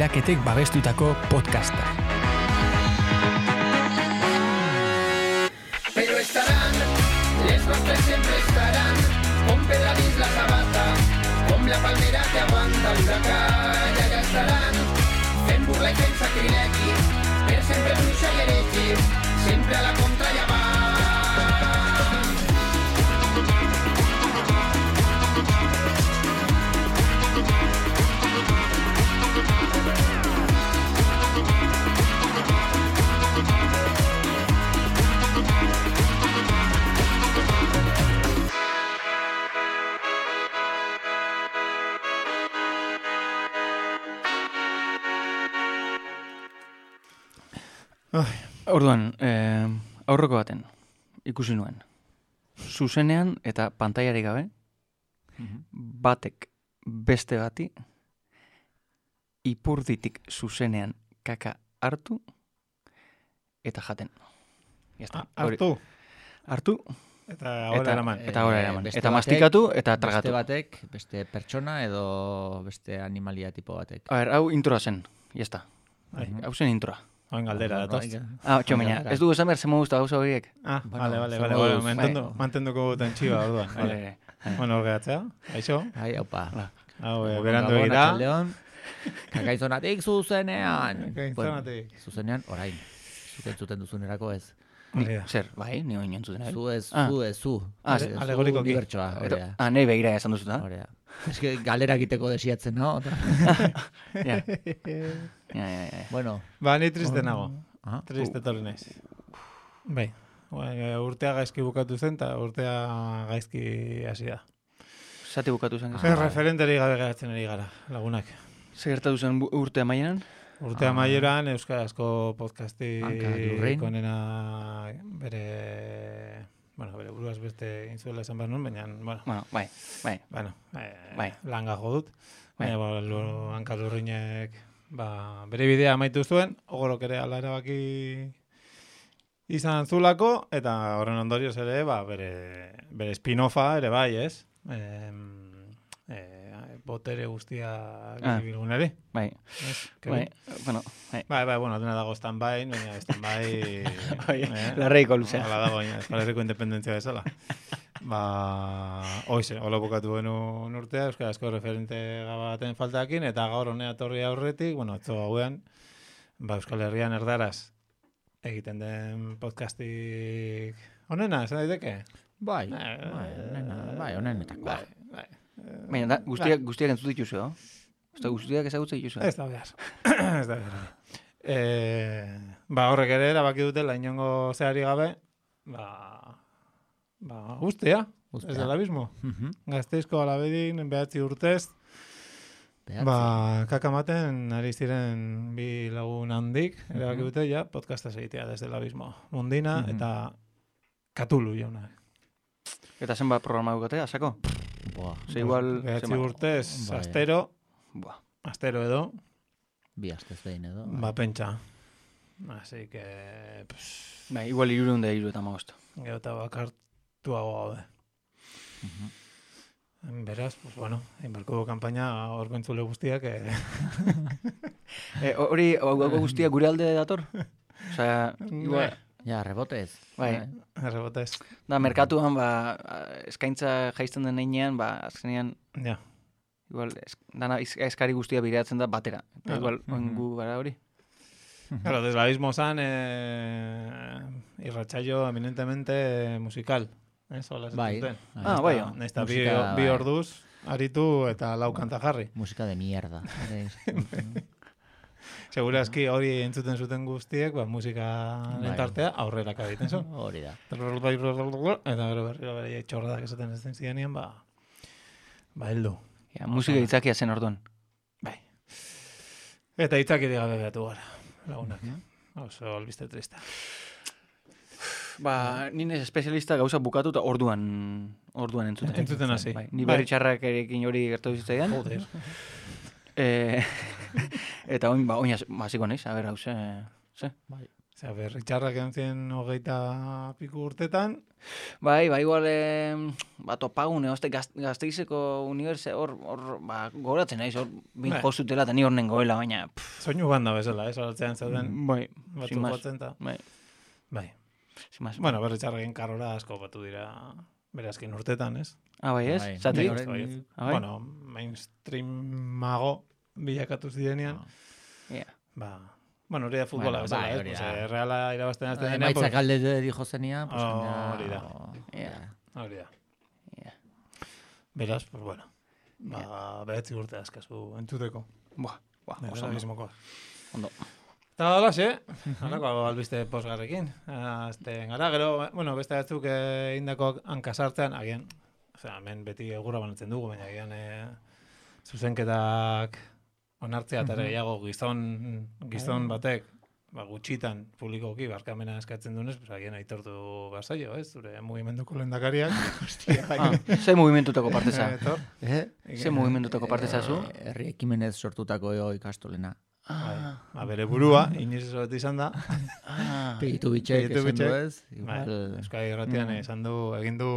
Bilaketek babestutako podcasta. Pero estarán, les rostros siempre estarán, con Pedra dins la sabata, com la palmera que aguanta l'huracán, i allà estaran, fent burla i fent sacrilegi, per sempre bruixa i heregi, sempre a la contra i avant. Orduan, aurreko baten ikusi nuen. Zuzenean eta pantailarik gabe, batek beste bati ipurditik zuzenean kaka hartu eta jaten. Hartu? Hartu Eta ahora eraman. Eta ahora eraman. beste Eta batek- mastikatu eta tragatu. Beste batek, beste pertsona edo beste animalia tipo batek. A ver, hau introa zen, jazta. Bai. Hau zen introa. Oen galdera, datoz. Txomeina, ez dugu esan behar, zema guzta gauza horiek. Vale, Bueno, mantenduko guten txiba, orduan. Vale. Bueno, orgeatzea, aixo. Ai, aupa. Hau, berandu egira. León. Kakaizonatik zuzenean. Kakaizonatik. Bueno, zuzenean, orain. Zuten zuten duzunerako ez. Zer, bai, ni oin entzuten. Zu ez, zu. Alegorikoki. Unibertsoa, horea. Nahi begira esan duzuta. Horea. Ez que galera egiteko desiatzen, no? Ja. Bueno. Ba, ni triste nago. Aha. Triste torri naiz. Bai, urtea gaizki bukatu zen, eta urtea gaizki hasi da. Zati bukatu zen. Referenteri gabe geratzen ari gara, lagunak. Zer gertatu zen urte amaieran? Urte amaieran euskarazko podcasti Hanka Lurrein. konena bere buruaz beste intzuela esan behar nuen, baina, Bueno, bai. langa jo dut. Baina, Hanka Lurreinek bere bidea amaitu zuen, ogorok ere ala erabaki izan zulako, eta horren ondorioz ere, bere spin-offa ere bai, ez? Botere guztia bilgunari. Bai. Bueno, dena dago stand-by, baina stand-by... Larreiko luzea. Hala dago, Euskal Herriko independentzia bezala. Hoize, hola bukatu benun urtea, euskarazko referente gabaten faltakin, eta gaur honea torri aurretik, atzo gauean, Euskal Herrian erdaraz egiten den podcastik onena, esan daiteke? Bai, onenetako. Bai. Baina, guztiak entzut dituzu, no? Guztiak ezagutzen dituzu. Ez da behar. Ez da behar. Horrek ere erabaki dutela inongo zehari gabe, guztia, ez dela abismo. Gazteizko alabedin, 9 urtez, kakamaten ari ziren bi lagun handik, erabaki dute, podcastaz egitea desde el abismo. Mundina eta Katulu jauna. Eta zenbat programa dukatea, sako? Igual... 9 urtez, astero edo, Bi astez behin edo. Pentsa. Así que... Igual 350. Gero eta bakartuago gaude. Beraz, inbarko kanpaina horko entzule guztiak... Hori guztia gure alde dator? Osea, igual... Ja, rebotez. Bai. Rebotez. Da, merkatuan, eskaintza jaizten den heinean, azkenean... Ja. Igual, dana eskari guztia bideratzen da batera. Eta igual, gu gara hori. Claro, desde el abismo zan, irratsaio eminentemente musical. Bai. Bai. Nesta bi orduz, aritu eta lau kanta jarri. Musika de mierda. Segurazki hori entzuten zuten guztiek, musika lentartea aurrera egiten zuen. Hori da. Eta gero berriro bere txorradak esaten ez den zidanean, heldu. Musika itzakia zen orduan. Bai. Eta itzakiri gabe behatu gara, lagunak. Oso albiste trista. Nire espezialista gauza bukatu eta orduan entzuten. Entzuten hasi. Ni berri txarrak erekin hori gertatu zitzaidan. Joder. Eta oin hasiko naiz, a ber, hauze... Osea, berritxarrak entzien 20 piku urtetan. Bai, igual, topagune, Gasteizeko hor, goratzen naiz, hor, bin jozutela, eta ni hor nengoela, baina... Soinu banda bezala, salatzean zauden. Bai, Batzuk batzen ta. Bai. Bueno, berritxarrakin karora asko batu dira berazkin urtetan, ez? Ah, bai, ez? Zati? Bueno, mainstreamago bilakatu zirenean. Bueno, hori da futbola bezala, ez? Reala irabazten azten denean. Maitzak alde dijo zenia. Hori da. Hori da. Beraz, pues bueno. Behatzi urte askazu entzuteko. Oso mismokoa. Ondo. Eta holas, halako albiste posgarrekin. Gara, gero, bueno, beste batzuk indako hankasartzean, agian, hemen beti egurra banatzen dugu, baina agian zuzenketak onartzea eta gehiago gizon batek, gutxitan publikoki barkamena eskatzen dunez, agian aitortu bazaio, ez? Zure mugimenduko lehendakariak. Ze mugimendutako parte za? Ze mugimendutako parte zazu? Herri ekimenez sortutako ikastolena. Bere burua, inoiz ez bat izan da. Pegitu bitxek esan du ez? Euskal Irratian esan du, egin du,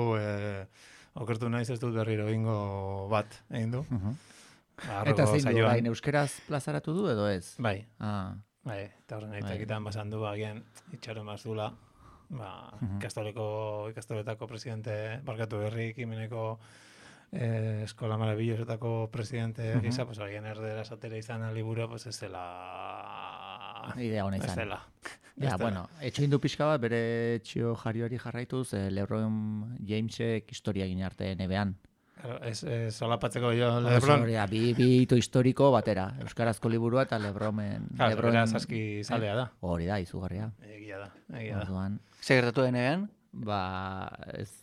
okertu naiz ez dut berriro egingo bat, egin du. Eta zein du, hain euskeraz plazaratu du edo ez? Bai, eta horren aitakitan basan du, agian itxaro mazula, ikastoletako presidente, barkatu herri ekimeneko eskola maravillosetako presidente gisa, pues agian erdera esatera izan liburu, pues ez dela... Idea hona izan. Ez dela. Ja, bueno, etxo indu pixka bat, bere txio jarioari jarraituz, LeBron Jamesek historia gine arte nebean. Solapatzeko jo LeBron. Bi hito historiko batera. Euskarazko liburua eta LeBronen... Beraz aski zalea da. Hori da, izugarria. Egia da. Zer gertatu denean? Ez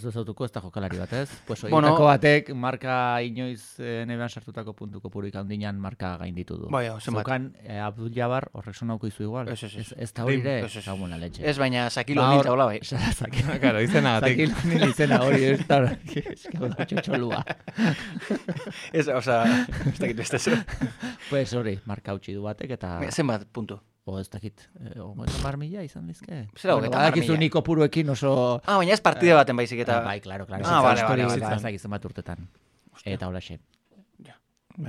zautuko ez da jokalari bat, ez? Pues horietako batek marka inoiz nebean sartutako puntuko purik handinan marka gainditu du. Bai, zenbat. Zukan Abdul Jabbar horrek sonauko izu igual. Ez da hori ere, zagun la leche. Ez, baina Sakilo Nil taula bai. Claro, izena gatik. Sakilo Nil izena hori, ez da txotxolua. Ez, oza, ez dakit beste zu. Pues hori, marka hautsi du batek eta... Zenbat puntu? Ez dakit, 30.000 izan dizke. Zera, 30.000. Badakizu niko puruekin oso... Baina ez partide baten baizik eta... Bai, claro. Bale. Ez dakit zenbat urtetan. Eta hola xe.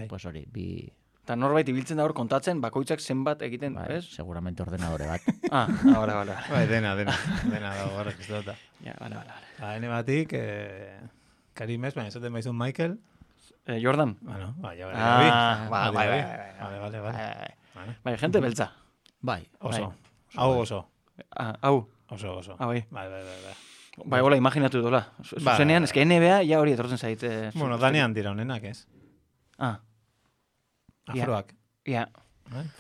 Pues hori, bi... Eta norbait ibiltzen da hor kontatzen, bakoitzak zenbat egiten, ez? Seguramente ordenadore bat. Bale. Bai, dena dago horrek ez dut. Ja, bale. Hene batik, Karimez, baina esaten baizun Michael. Jordan? Bueno, bai. Bai, gente beltza. Bai. Oso. Hau oso. Hau. Oso. Bai. Bai, hola, imaginatu dola. Zuzenean, eske NBA ja hori etortzen zaite. Bueno, danean dira honenak, ez? Afroak. Ja.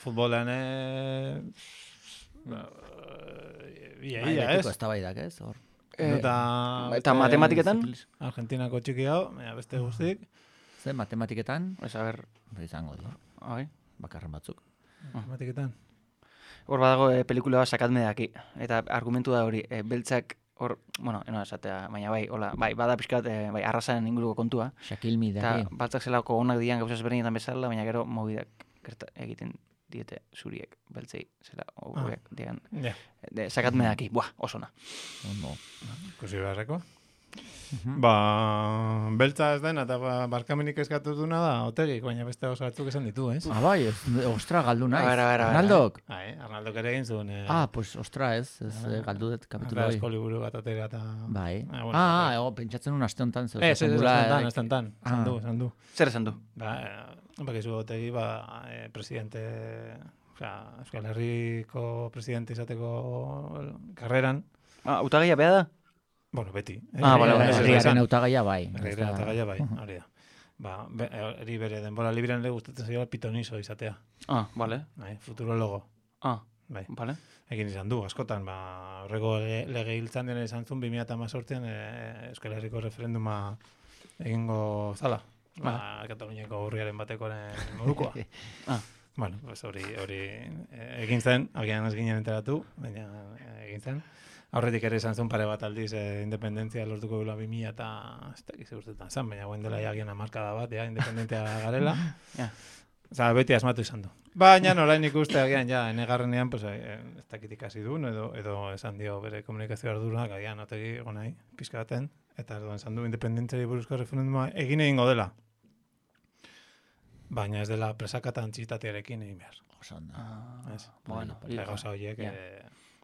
Futbolean... Ia, ez? Ez da baidak, ez? Eta matematiketan? Argentinako txiki hau, beste guztik. Ze, matematiketan? Ez, a ber... Izango dio. Bakarren batzuk. Matematiketan. Hor badago pelikula bat sakatme daki. Eta argumentu da hori, beltzak hor, bueno, esatea, baina bai, bada pixkat, bai, arrasaren inguruko kontua. Shaquille O'Neal daki. Eta baltzak zelako onak dian gauza ezberdinetan bezala, baina gero mobidak egiten diete zuriek, beltzei, zela, horiek dian. Sakatme daki, osona. Ikusi beharreko. Beltza ez den, eta barkamenik eskatu duna da, Otegik, baina beste oso batzuk esan ditu, ez? Bai, ostra, galdu naiz. Arnaldok? Arnaldok ere egin zuen. Ostra, ez galdu dut kapitulo hori. Asko liburu bat atera eta... Bai. Pentsatzen un aste honetan. Ez honetan, esan du. Zer esan du? Bakizu Otegi, presidente... Euskal Herriko presidente izateko karreran. Utagaia beha da? Bueno, beti. Herriaren autagaia bai. Herriaren autagaia bai, hori da. Eri bere denbora librean le gustatzen zaio pitonizo izatea. Vale. Futurologo. Bai, vale. Egin izan du, askotan, horrego lege hiltzan dena izan zuen 2018an Euskal Herriko referenduma egingo zala. Kataluniako urriaren batekoaren modukoa. Bueno, hori egin zen, agian ez ginen enteratu, baina egin zen. Aurretik ere izan zuen pare bat aldiz independentzia lortuko gula 2000 eta ez dakiz urtetan zan, baina guen dela jagian amarkada bat, independentzia garela. Osa, beti asmatu izan du. Baina orain ikuste agian, ja, enegarrenean, pues, ez dakit ikasi duen, edo esan dio bere komunikazio ardurak, agian, otegi gonai, pizka baten, eta erdoan esan du independentzari buruzko referenduma egin egingo dela. Baina ez dela presaka eta antzitatearekin egin behar. Osonda. Bueno, Gauza horiek...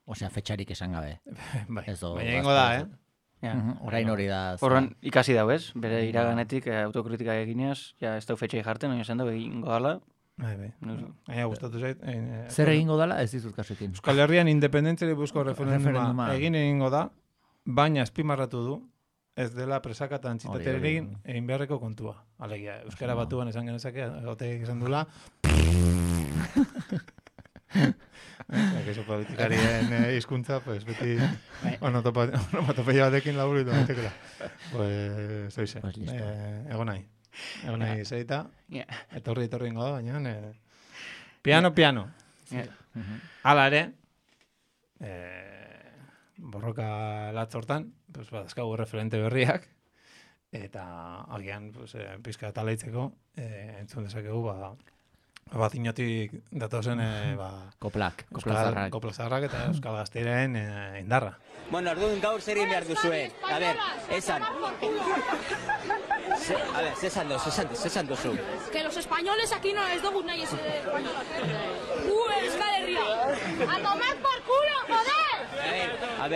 Osea, fetxarik esan gabe. Baina egingo da, Orain hori da. Horren ikasi dau, ez? Bere iraganetik autokritika eginez, ja ez dau fetxai jarten, oin esan dau egingo dala. Bai. Aia gustatu zait. Zer egingo dala, ez dizut kasuekin. Euskal Herrian independentzari buruzko referenduma egin egingo da, baina azpimarratu du, ez dela presaka eta antzitatearekin egin beharreko kontua. Alegia, Euskara Batuan esan genezake, goteik esan dula. Eso politikarien hizkuntza, pues beti onomatopeia batekin laburitu baitekela. Pues soize. Egon nahi zeita. Etorri ingo da, baina piano. Hala ere, borroka latzortan, pues badazkagu referente berriak, eta agian pizka talaitzeko entzun dezakegu Batinotik datozen koplak zaharrak eta Euskal Gazteiren indarra. Bueno, orduan gaur zer egin behar duzuen. A ver, esan. A ver, zesan duzu. Que los españoles aquí no les dugu nahi ese español. Euskal Herria. A tomar por culo, joder. A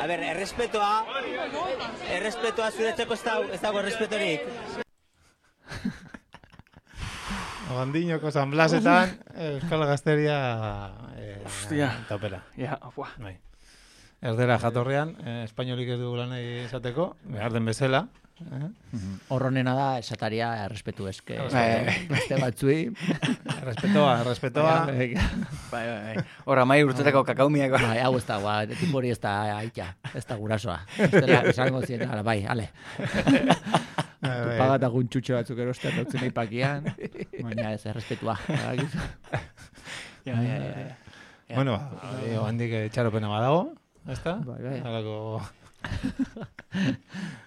ver, errespetoa zuretzeko ez dago errespetorik. Abandinoko San Blasetan, Euskal Gazteria taupera. Bai. Erdera jatorrean, espainolik ez dugu lan esateko, behar den bezala. Horronena da, esataria errespetu eske. Beste batzui. Errespetoa. Bai. Horra mai urtetako kakaumiak. Bai, hau ez da, tipo hori ez da aita, ez da gurasoa. Ez dela, esango zien, bai, ale. Pagat agun txutxo batzuk erosten dutzen ipakian, baina ez, errespetua. Bueno, handik txaropena badago, ez da? Bai.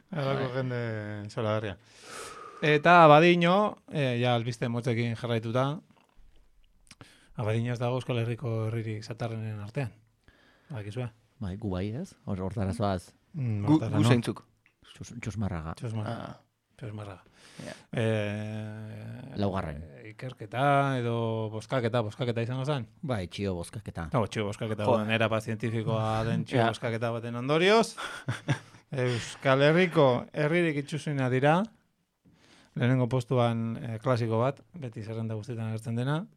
Halako jende zola Eta Abadiño, ja albiste motzekin jarraituta, Abadiño ez dago Euskal Herriko herririk zatarrenen artean. Bakizua. Bai, gu bai ez, hortara zoaz. Gu zeintzuk. Txosmarraga. Txosmarraga. Laugarren. Ikerketa edo boskaketa izango zen? Bai, txio boskaketa. Txio boskaketa, erapa zientifikoa den txio boskaketa baten ondorioz. Euskal Herriko herririk itxusuina dira. Lehenengo postuan klasiko bat, beti zerrenda guztietan agertzen dena.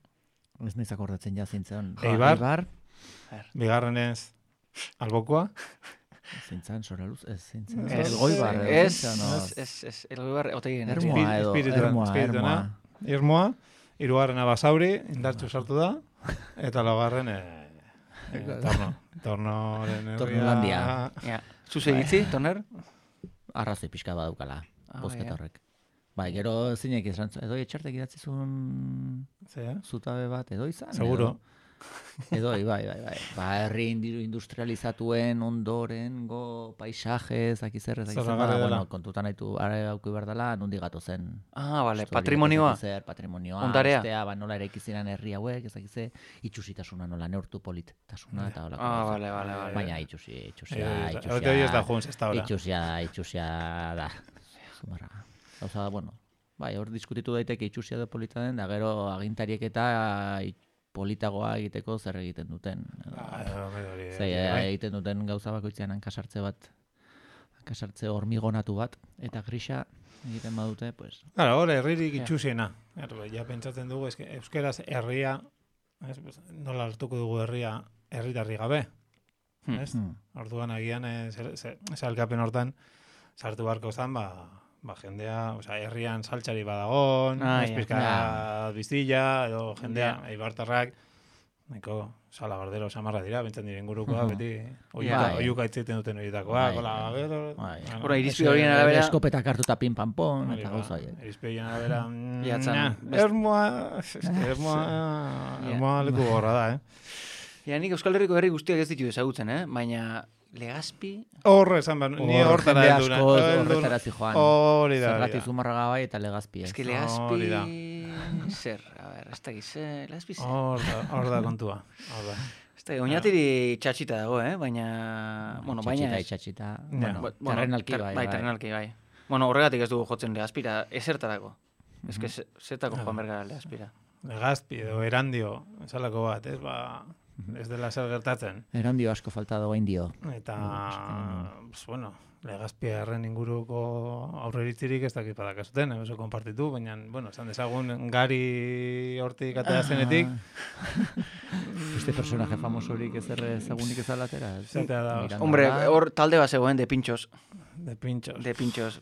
Ez nahiz akordatzen jazintzen. Eibar. Bigarrenez Albokoa. Zintzan, Soraluz, ez zintzan. Elgoibar. Elgoibar, otegien. Ermoa. Irmoa. Hirugarrena Basauri, indartxu sartu da. Eta laugarren Tornoren herria. Tornolandia. Zuzegitzi, Torner? Arrazoi pixka badaukala, bozketa horrek. Bai, gero zinek izan, edo etxartek idatzizun zutabe bat, edo izan? Seguro. Edo, bai. Ba, herri industrializatuen ondorengo paisajez, akizerrez, bueno, kontutan haitu, auki berdala, nundi gato zen. Bale, patrimonioa. Patrimonioa, ondarea. Ostea, nola ere ikizinan herri hauek, ezakize, itxusitasuna nola neurtu politasuna, eta hola. Bale. Baina itxusia. Itxusia da. Zumarraga. Gauza, bueno, bai, hor diskutitu daiteke itxusia da polita den, da gero agintariek eta politagoa egiteko zer egiten duten. Egiten duten gauza bakoitzean hankasartze hormigonatu bat, eta grisa egiten badute, pues... Hor, herririk itxusiena. Ja pentsatzen dugu, euskeraz herria, nola hartuko dugu herria, herritarri gabe. Orduan agian, zalkapen hortan, sartu barko zan, jendea, herrian saltxari badagon, espizka biztilla, edo jendea, eibartarrak, nahiko salabardero samarra dira, bintzen diren gurukoa, beti oiuka itziten duten horietakoa, kola, gero... Hora, irizpide horien arabera... Eskopetak hartuta pin-pam-pon, eta gauza horiek. Irizpide horien arabera... Ermoa leku gorra da, Nik Euskal Herriko herri guztiak ez ditu ezagutzen, baina... Legazpi? Horre esan behar, ni hortara elduna. Horretara zijoan. Hori da. Zergatik Zumarraga bai eta Legazpi. Ez que Legazpi... Zer, a ber, ez da gize, lesbize. Hor da kontua. Ez da, oinatiri txatxita dago, baina... Bueno, baina... Txatxita, Bueno, terrenalki bai. Bai, terrenalki bai. Bueno, horregatik ez dugu jotzen Legazpira, ezertarako. Ez que zertako joan bergara Legazpira. Legazpi edo Erandio, esalako bat, ez, ez dela zer gertatzen. Erandio asko falta dago indio. Eta, bueno, Legazpiarren inguruko aurreritzirik ez dakit badakazuten, oso konpartitu, baina, bueno, esan dezagun gari hortik atea zenetik. Este personaje famosorik ezagunik ez alatera. Hombre, hor talde bat zegoen de Pintxos. De Pintxos. De Pintxos.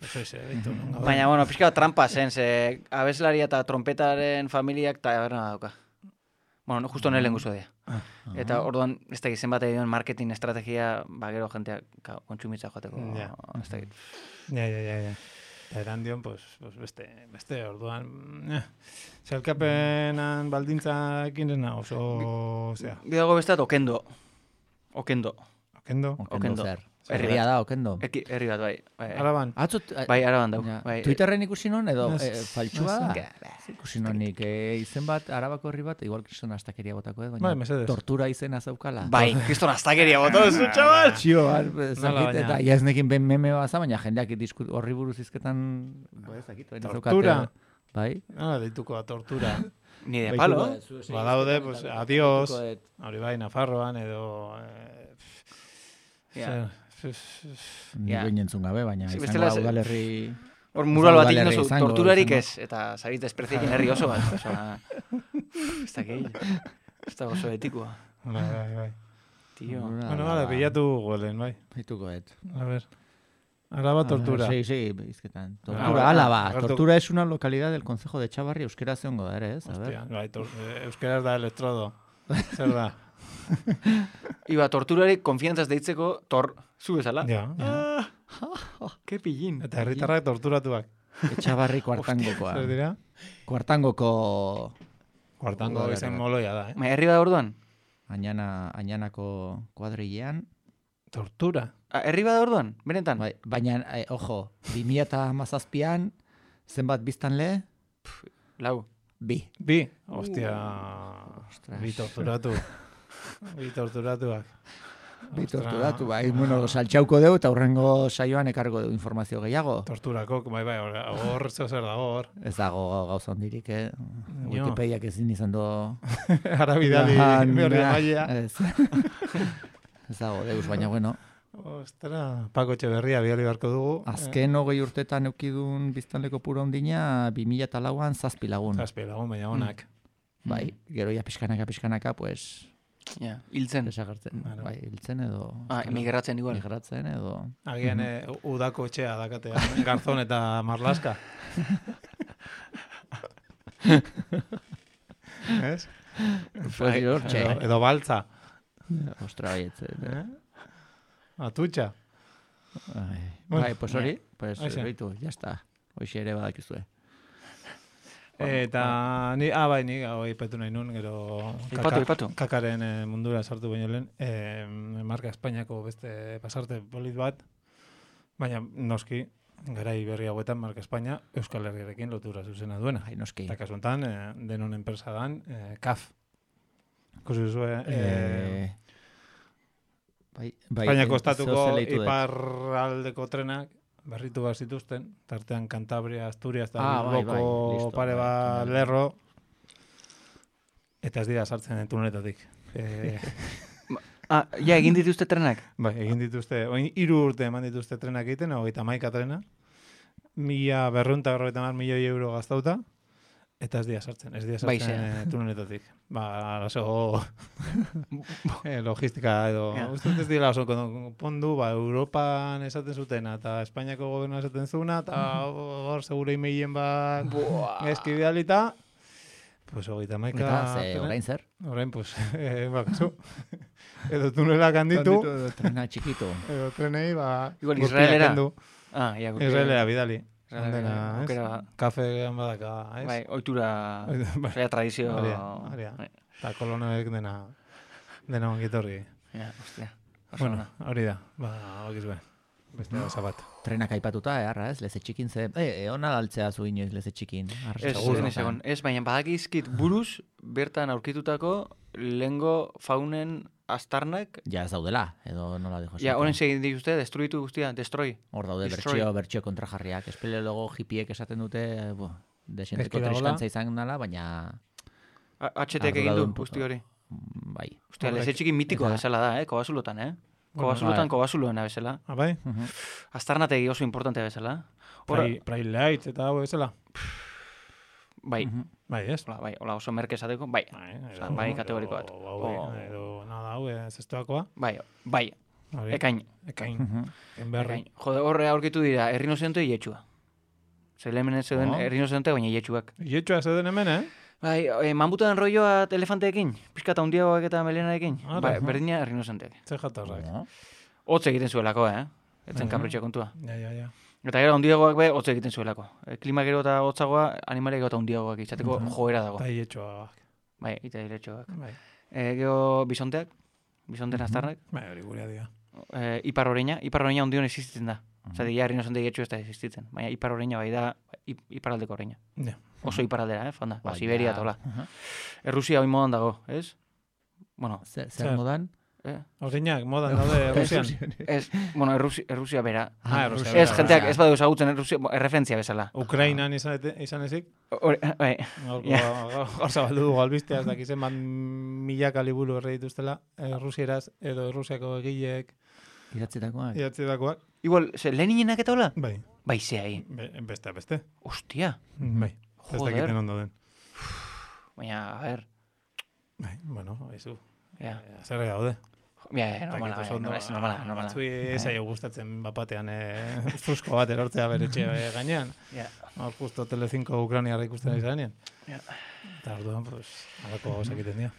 Baina, bueno, pixka trampa zen, ze abeslaria eta trompetaren familiak taberna dauka. Bueno, justo nire lenguzo dira. Eta orduan, ez da gizen bat egin marketing estrategia, gero jentea kontsumitza joateko. Ez da git. Ja. Eta Erandion, pues beste orduan, zelkapenan baldintzakin dena oso, zera. Bidago bestat, Okendo. Okendo zer. Herria da, Okendo. Herri bat, bai. Araban. Bai, Araban dau. Twitterren ikusi non, edo faltsua da? Ikusi nonik izen bat, Arabako herri bat, igual kriston astakeria botako, baina tortura izena zaukala. Bai, kriston astakeria botako, zu, txabal! Txio, eta jaznekin ben meme baza, baina jendeak horri buruz izketan... Tortura? Bai. Dituko da, tortura. Ni de palo. Badaude, pues, adiós. Hori bai, Nafarroan, edo... Ni goinentzun gabe, baina izango da udalerri... Hor mural bat iknozu, torturarik ez, eta zarit despreziekin herri oso bat. Ez da gehi. Ez da oso etikoa. Bai. Tío. Bueno, bilatu golen, bai. Bitukoet. A ver. Araba tortura. Sí, izketan. Tortura, Álava. Tortura es una localidad del concejo de Chavarri, euskera zeongo da ere, ez? Hostia, bai, euskera da elektrodo. Zer da? Iba, torturari konfiantzaz deitzeko, zu bezala. Ja. Ke pillin. Eta herritarrak torturatuak. Etxabarri kuartangokoa. Zer dira? Kuartango izan moloia da, Herri bat orduan? Añanako kuadrilean. Tortura? Herri bat orduan, benetan? Baina, ojo, 2017an, zenbat biztanle? Lau. Bi. Hostia. Bi torturatu. Bi torturatuak. Bai, bueno, saltxauko deu eta hurrengo saioan ekargo deu informazio gehiago. Torturako, bai, hor zer dago hor. Ez dago gauza hondirik, Wikipediak ezin izan do... Arabidali, behorri mailea. Ez dago, deus, baina, bueno. Ostra, Pako Etxeberria bihali beharko dugu. Azken 20 urtetan eukidun biztanleko pura ondina, 2004an 7 lagun. 7 lagun, baina honak. Bai, gero ya pixkanaka, pues... Ja, hiltzen. Desagertzen. Bai, hiltzen edo... Migratzen igual. Migratzen edo... Agian udako etxea dakatea, Garzon eta Marlaska. Ez? Edo baltza. Ostra, baiet. Atutxa. Bai, pues hori, pues behitu, ya está. Hoxe ere badakizue. Eta ni petu nahi nun, gero Ipatu. Kakaren mundura sartu baino lehen, marka Espainiako beste pasarte polit bat, baina noski, garai berri hauetan marka Espainia Euskal Herriarekin lotura zuzena duena. Noski. Eta kasuntan, denon enpresa dan, CAF. Ikusi duzue... Espainiako estatuko iparraldeko trenak, berritu bat zituzten, tartean Cantabria, Asturias, eta Bilboko pare bat lerro, eta ez dira sartzen tuneletatik. Ja, egin dituzte trenak? Bai, egin dituzte, 3 urte eman dituzte trenak egiten, 31 trena, 1.250.000 euro gaztauta, eta ez dira sartzen tuneletatik. Oso logistika edo, ez dira oso pondu, Europan esaten zutena, eta Espainiako gobernu esaten zuna, eta hor segure emailen bat eskibidalita, pues 31. Eta, orain zer? Orain, pues, bakazu. Edo tunelak handitu. Edo trena txikitu. Edo trenei, igual Israelera. Israelera bidali. Kafe badaka, ez? Bai, oitura, tradizio... Aria. Eta kolonoek dena ongitorri. Ja, hostia. Bueno, hori da, bakizue. beste gauza bat. Trenak aipatuta, eharra, ez? Leze txikin ze... ona galtzea zu inoiz leze txikin. Ez, baina badakizkit buruz, bertan aurkitutako lehengo faunen astarnak. Ja, ez daudela, edo nola dijo. Ja, honen segin dituzte, destruitu guztia, destroy. Hor daude bertxio kontrajarriak. Espeleologo hipiek esaten dute, desenteko triskantza izan nala, baina... HTek egin du guzti hori. Bai. Ostia, leze txikin mitikoa bezala da, Kobasulotan, Kobasuloena bezala. Bai? Astarnategi oso importantea bezala. Pride Lights eta hau bezala. Bai. Bai, ez? Bai, hola oso merke esateko, bai. Bai, kategoriko bat. Edo, nada, hau, zestoakoa. Bai. Ekain. Enberri. Jode, horre aurkitu dira, errinozente ietxua. Zelemenen zeuden errinozente, baina ietxuak. Ietxua zeuden hemen, Bai, manbutan rolloa elefanteekin, pizkata hundiagoak eta melenarekin. Berdina errinozenteak. Zer jatorrak. Hotz egiten zuelako, Etzen kapritxo kontua. Ja. Eta gero hundiagoak be, hotz egiten zuelako. Klima gero eta hotzagoa, animaliak eta hundiagoak izateko joera dago. Eta ietxoak. Bai, eta iletxoak. Bai. Gero bisonteak, bisonten astarrak. Bai, hori gurea dira. Ipar oreina hundion existitzen da. Zati, ja, errinozente ietxu ez da existitzen. Baina ipar oreina bai da iparaldeko oreina. Oso iparaldera, fanda. Siberia tola. Errusia hoi modan dago, ez? Bueno. Zer modan? Oreinak modan daude Errusian. Errusia bera. Errusia bera. Ez, jenteak ez badu ezagutzen erreferentzia bezala. Ukrainan izan ezik? Bai. Hor zabaldu dugu albistea, ez dakizen bat milaka liburu erre dituztela Errusieraz edo Errusiako egileek. Idatzitakoak. Igual, Leninenak eta hola? Bai. Bai, zehai. Beste. Ostia. Bai. Ez dakiten ondo den. Baina, a ver. Bai, bueno, haizu. Zer daude. Normala. Batzui zaio gustatzen bapatean frusko bat erortzea beretxe gainean. Hor justo Tele5 Ukrainiarra ikusten izanean. Eta orduan, pues, alako gauzak egiten dira.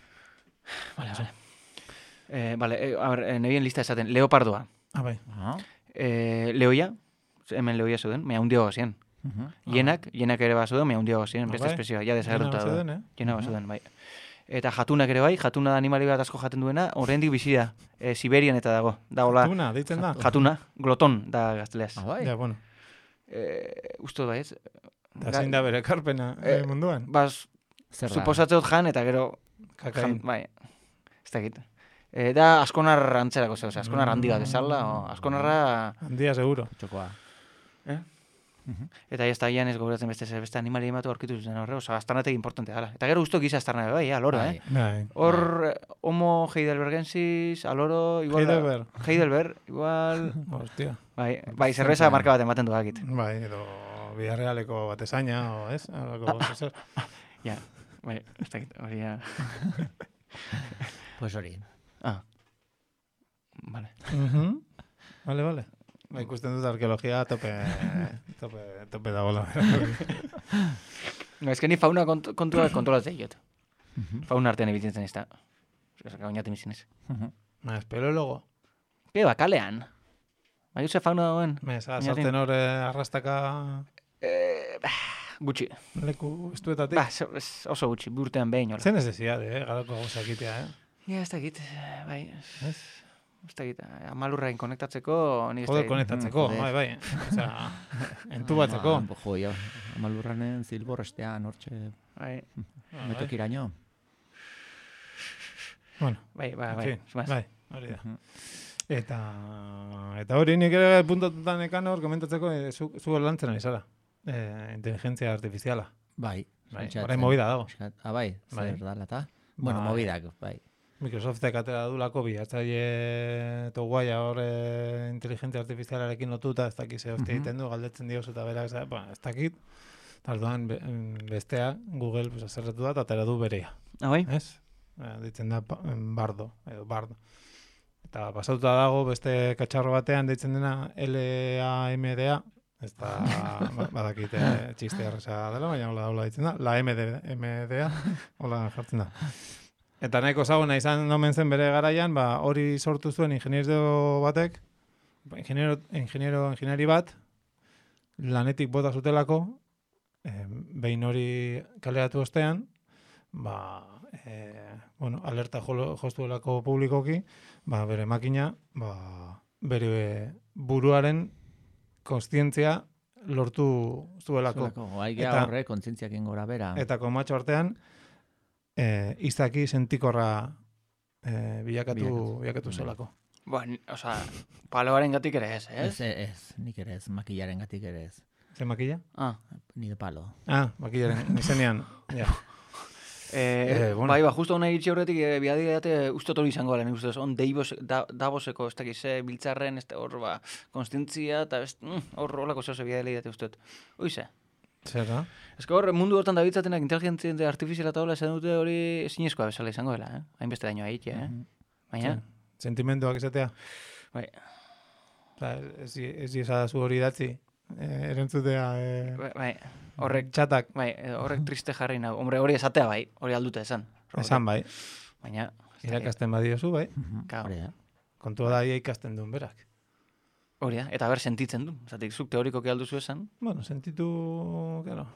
Vale, a ver, nebien lista esaten. Leopardoa. Bai. Leoia, hemen leoia zeuden, mea hundiagoa ziren. Jenak ere bat zeuden, mea hundiagoa ziren, beste espezioa, ja desagertuta da. Jena bat zeuden, bai. Eta jatunak ere bai, jatuna da animali bat asko jaten duena, oraindik bizi da. Siberian eta dago. Jatuna, deitzen da? Jatuna, gloton da gazteleaz. Ja, bueno. Usto da ez? Da zein da bere karpena munduan? Bas, suposatzeot jan eta gero... Kakain. Bai, ez dakit. Da askonar antzerako zeu, askonar handi bat ezala, askonarra... Handia seguro. Txokoa. Eta ez da ian ez gogoratzen beste animali ematu aurkitu zuzen horre, oza, astarnategi importantea gala. Eta gero guztok giza astarnabe, bai, aloro, Hor, Homo heidelbergensis, aloro, igual... Heidelberg, igual... Hostia. Bai, zerbeza marka bat ematen duakit. Bai, edo Villarrealeko batesaina, o ez? Ja, bai, ez dakit, hori ya... Pues hori. Vale. Vale. Ba, ikusten dut arkeologia tope dagoela. No, ez que ni fauna kontrolatzen diot. Fauna artean ebitzen ez da. Gainatu mizinez. Espeleologo. Ba, kalean. Bai, uze fauna dagoen. Sartzen hor arrastaka... Gutxi. Leku estuetatik. Ba, oso gutxi, burtean behin. Zen ez desiade, garako gauza egitea, Ja, ez dakit, bai. Ez dakit, amalurrain konektatzeko... Joder, konektatzeko, bai. Osea, entubatzeko. Jo, amalurranen zilborrestean, hortxe... Bai. Metokiraino. Bueno. Bai. Bai, hori da. Eta hori nik ere puntatutan ekan hor komentatzeko zu lantzen ari zara. Inteligentzia artifiziala. Bai. Horain movida dago. Bai, zer dala eta. Bueno, movidak, bai. Microsoftek atera dulako bilatzaile toguaia hor inteligentzia artifizialarekin lotuta, ez dakit ze hostia egiten du, galdetzen diozu eta berak, ez dakit. Tarduan bestea, Google azerretu da, eta atera du berea. Bai? Ez? Ditzen da Bardo, edo Bardo. Eta pasatuta dago beste katxarro batean deitzen dena LAMDA, ez da badakit txiste erresa dela, baina hola ditzen da, la MDA, hola jartzen da. Eta nahiko zaguna izan omen zen bere garaian, hori sortu zuen ingeniero batek, ingenieri bat, lanetik bota zutelako, behin hori kaleratu ostean, alerta jostuelako publikoki, bere makina, bere buruaren kontzientzia lortu zuelako. Eta horre, kontzientziakin gora bera. Eta komatxo artean, izaki sentikorra bilakatu zelako. Paloaren gatik ere ez, ez? Ez, nik ere ez, makillaren gatik ere ez. Ze makilla? Ni de palo. Makillaren, izenean, ja. Bai, justo hona iritsi horretik, biadidate ustot hori izango gala, nik ustez, on Davoseko, ez dakiz, biltzarren, hor, konstientzia, eta hor olako zehose biadile date ustot. Oize? Zer da? Ez que hor, mundu hortan dabitzatenak inteligentzia artifiziala eta hola, esan dute hori zinezkoa bezala izango dela, hainbeste daño haitia, Baina? Sentimenduak izatea? Bai. Ez diezazu hori datzi? Erentzutea... Bai, horrek... Txatak? Bai, horrek triste jarri nago. Hombre, hori esatea bai, hori aldute esan. Esan bai. Baina... Irakasten badiozu, bai. Kontua da ikasten duen berak. Hori da, eta ber sentitzen du. Zatik, zuk teorikoki alduzu esan? Bueno, sentitu... Claro.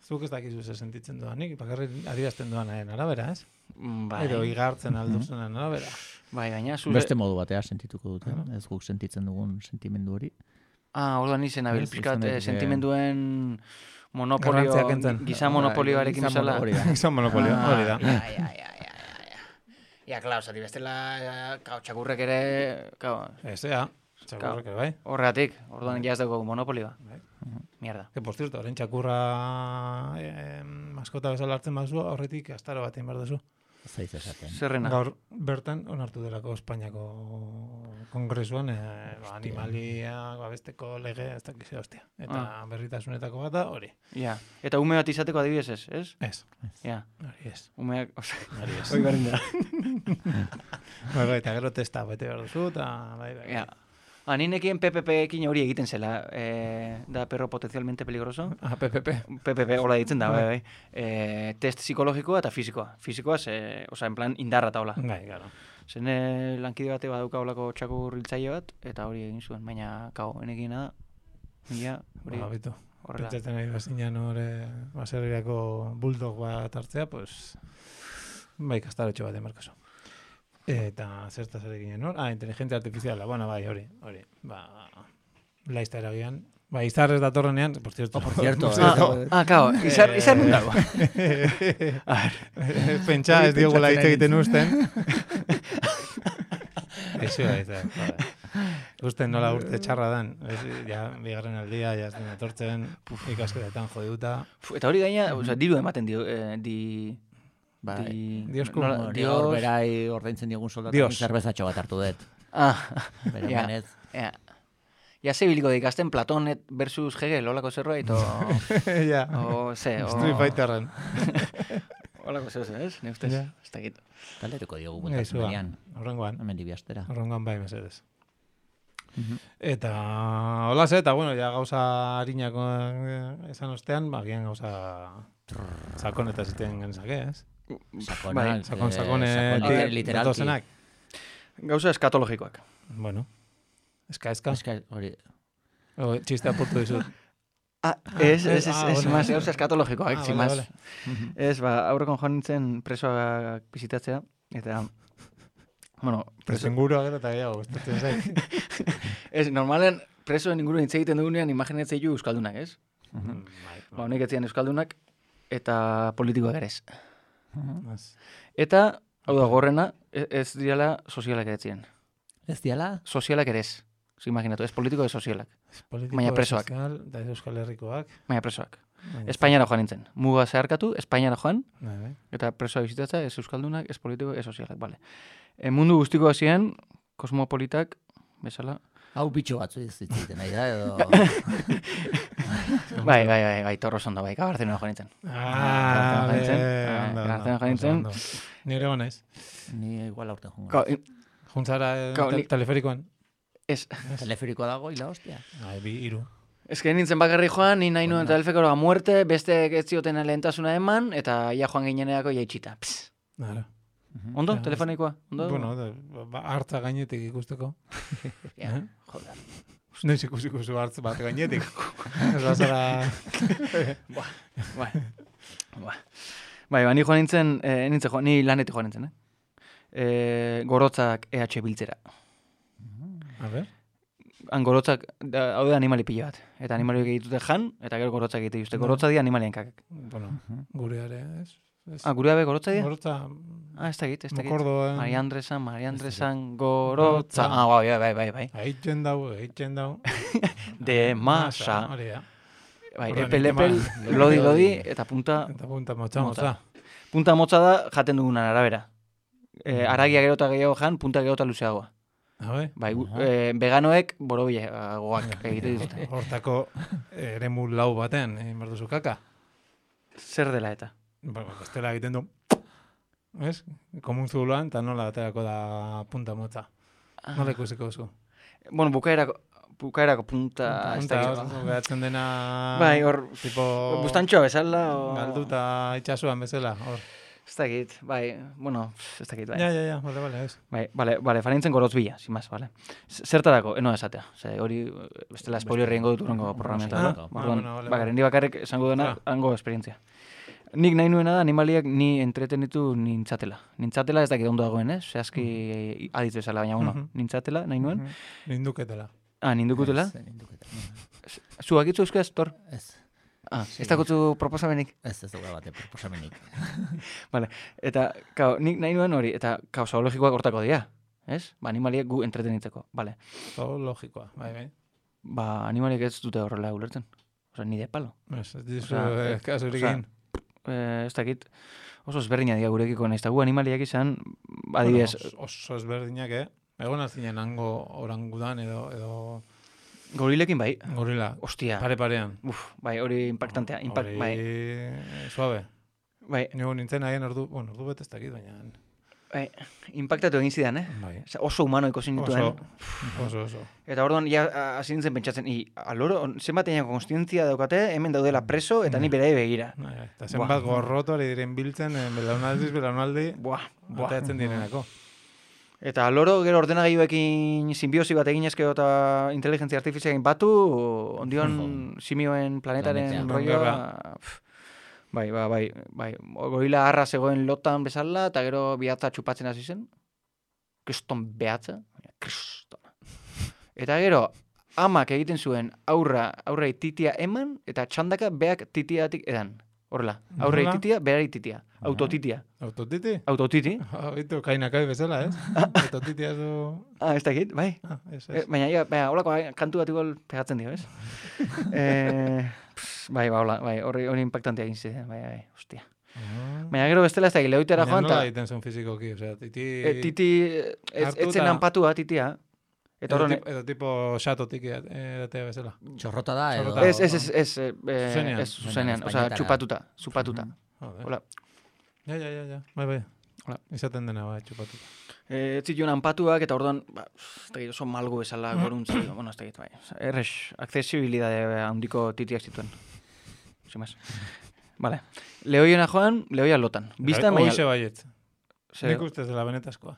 Zuk ez dakizu ze sentitzen duanik, bakarrik adierazten duanaren arabera, ez? Bai. Edo igartzen alduzunen arabera. Bai, baina zure... Beste modu batea sentituko dute, ez guk sentitzen dugun sentimendu hori. Orduan izen abil, pixkat, sentimenduen monopolio, gizan monopolioarekin bezala. Gizan monopolio, hori da. Ja, klar, zati bestela, txakurrek ere, Ezea, txakurrek ere, bai. Horregatik, orduan ja ez dago monopolioa. Mierda. Que, por cierto, horren txakurra maskota bezala hartzen bazu, horretik astaro bat egin behar duzu. Zaiz esaten. Zerrena. Gaur bertan onartu delako Espainiako kongresuan animalia babesteko lege ez dakize hostia. Eta berritasunetako bat da hori. Ja. Eta ume bat izateko adibidez ez, ez? Ez. Ja. Hori ez. Umeak, Hori ez. hori berdin da. Bai, eta gero testa bete behar duzu, eta bai. Ja. Ninekien PPP-ekin hori egiten zela, da perro potencialmente peligroso. PPP. PPP, hola ditzen da, bai. Test psikologikoa eta fizikoa. Fizikoa, en plan, indarra eta hola. Bai, gara. Zen lankide bate badauka holako txakur hiltzaile bat, eta hori egin zuen, baina, enekiena da, mila, hori Bitu. horrela. Pentsatzen nahi bazinan hori baserriako bulldog bat hartzea, pues, bai, kastarotxo bat emarkaso. Eta zertaz ere ginen hor? Inteligentzia artifiziala, bueno, bai, hori. Laizta eragian. Bai, izar ez datorrenean, por cierto. Claro, izar nun dago. Pentsa ez diogula hitz egiten usten. Eixo da, izan. Usten nola urte txarra dan. Ja, bigarren aldia, ja ez den atortzen, ikasketetan jodiuta. Eta hori gaina, diru ematen Dios berai ordaintzen diogun soldatan zerbezatxo bat hartu dut. Bere manez. Ja, ze biliko ikasten Platon versus Hegel, holako zerbait, Ja, Street Fighterren. Holako zerbait, ez? Ne ustez, ez dakit. Taldetuko diogu guntasunean. Horrengoan. Hemen dibiastera. Horrengoan bai, mesedez. Eta hola ze, eta bueno, ja gauza harinako esan ostean, bagian gauza sakon eta ziten genezake, ez? Sakon literalki. Gauza eskatologikoak. Bueno. Eska. Hori. Txiste apurtu dizut. Ez, más gauza eskatologikoak, zimaz. Ez, aurrekon joan nintzen presoak bizitatzea, eta... Bueno, presenguro agero eta gehiago, estatzen zaik. Ez, normalen presoen inguruen hitz egiten dugunean imaginatzen ju euskaldunak, ez? Honek etzian euskaldunak, eta politikoak ere ez. Eta, hau da, gorrena, ez direla sozialak ere etzien. Ez diala? Sozialak ere ez. Imaginatu, ez politiko ez sozialak. Baina presoak. Da ez Euskal Herrikoak. Baina presoak. Espainiara joan nintzen. Muga zeharkatu, Espainiara joan, eta presoa bizitatza, ez euskaldunak, ez politiko, ez sozialak. Vale. Mundu guztiko hasien, kosmopolitak, bezala. Hau bitxo batzu izitzen, nahi da, edo... Bai, torro zondo, bai, Gabartzenera joan nintzen. Gabartzenera joan nintzen. Nire gona ez? Ni igual aurten jongo. Juntzara teleferikoan? Ez. Teleferikoa dago, hila hostia. Iru. Ez que nintzen bakarri joan, ni nahi nuen teleferikoa muerte, beste ez zioten lehentasuna eman, eta ja joan gineneako jaitxita. Nara. Ondo, telefonikoa? Bueno, hartza gainetik ikusteko. Joder. Noiz ikusiko zu hartz bat gainetik. Ez bazara... Bai, ni joan nintzen, ni lanetik joan nintzen, Gorotzak EH biltzera. A ver? han gorotzak, hau da animali pila bat. Eta animaliak egitute jan, eta gero gorotzak egite juste. Gorotza dira animalien kakak. Bueno, gureare, ez? Gurea be gorotza dira? Gorotza... Ez da egit. Mokordoen... Maria Andresan, gorotza... Bai. Eitzen dau. De masa. Hori da. Bai, Orduan, epel, lodi, eta punta... Eta punta motza. Punta motza da jaten dugunan arabera. Aragia gero eta gehiago jan, punta gero eta luzeagoa. Bai, veganoek borobileagoak egite dituzte. Hortako eremu lau baten, behar duzu kaka. Zer dela eta? Bestela egiten du, ez? Komun zuloan, eta nola aterako da punta motza. Nola ikusiko zu? Bueno, bukaerako punta... Gehatzen dena... Bai, hor... Tipo... Bustantxoa bezala... Galduta itxasuan bezala, hor. Ez dakit, bai, bueno, ez dakit, bai. Ja, bale, ez. Bai, farintzen gorotz bila, sin más, bale. Zertarako, eno esatea. Hori, bestela spoiler egingo dut urango programetan. Garen bakarrik esango dena, hango esperientzia. Nik nahi nuena da animaliak ni entretenitu nintzatela. Nintzatela ez dakit ondo dagoen, ez? Zehazki aditzu esala, baina, bueno, nintzatela nahi nuen. Ninduketela. Nindukutela? Zuak itzu euskaz, Tor? Ez. Ez dakotzu proposamenik? Ez dugu bate proposamenik. Vale, eta, nik nahi nuen hori, eta, zoologikoak hortako dira, ez? Animaliak gu entretenitzeko, vale. Zoologikoa, bai. Animaliak ez dute horrela ulertzen. Osa, ni de palo. Ez dizu, kasurik egin. Ez dakit, oso ezberdina dira gurekiko nahiz, eta gu animaliak izan, adibidez... Oso ezberdinak, Egon azinen hango orangudan edo... Gorilekin bai. Gorila. Ostia. Pare-parean. Bai, hori impactantea. Bai. Suave. Bai. Nigo nintzen haien ordu bet ez dakit, baina... Bai, impactatu egin zidan, Bai. Oso humano ikusi nituen. Oso. Eta orduan, hasi nintzen pentsatzen, aloro, zenbat egin konstientzia daukate, hemen daudela preso, eta ni berai begira. Eta zenbat gorroto ari diren biltzen, belaunaldi, bateatzen direnako. Eta loro gero ordenagailuekin simbiosi bat egin ezkero eta inteligentzia artifizialekin batu, ondion simioen planetaren rolloa... Bai. Gorila harra zegoen lotan bezala, eta gero bihatza txupatzen hasi zen. Kriston behatza. Eta gero, amak egiten zuen aurrei titia eman, eta txandaka beak titiatik edan. Horrela, aurrei titia, berari titia. Autotitia. Autotiti? Autotiti. Itu kainakai bezala, ez? Autotitia du... Ez dakit, bai. Baina, holako kantu bat igual pegatzen dio, ez? Bai, hori impactantea egin ziren, bai, hostia. Baina gero bestela ez da, lehoitera joan, eta... Nola egiten zuen fizikoki, osea, titi... Etzen hanpatua, titia. Edo tipo xatotik edatea bezala. Txorrota da, edo... Ez, zuzenean, osea, txupatuta. Hola. Ja. Bai. Izaten dena, bai, txupatuta. Ez zituen hanpatuak, eta orduan, ez da oso malgu bezala goruntzi, bueno, ez da bai. Errex, accesibilidade handiko titiak zituen. Zimaz. Vale. Lehoiena joan, lehoia lotan. Bistan, baina... Hoxe baiet. Nik ustez dela benetazkoa.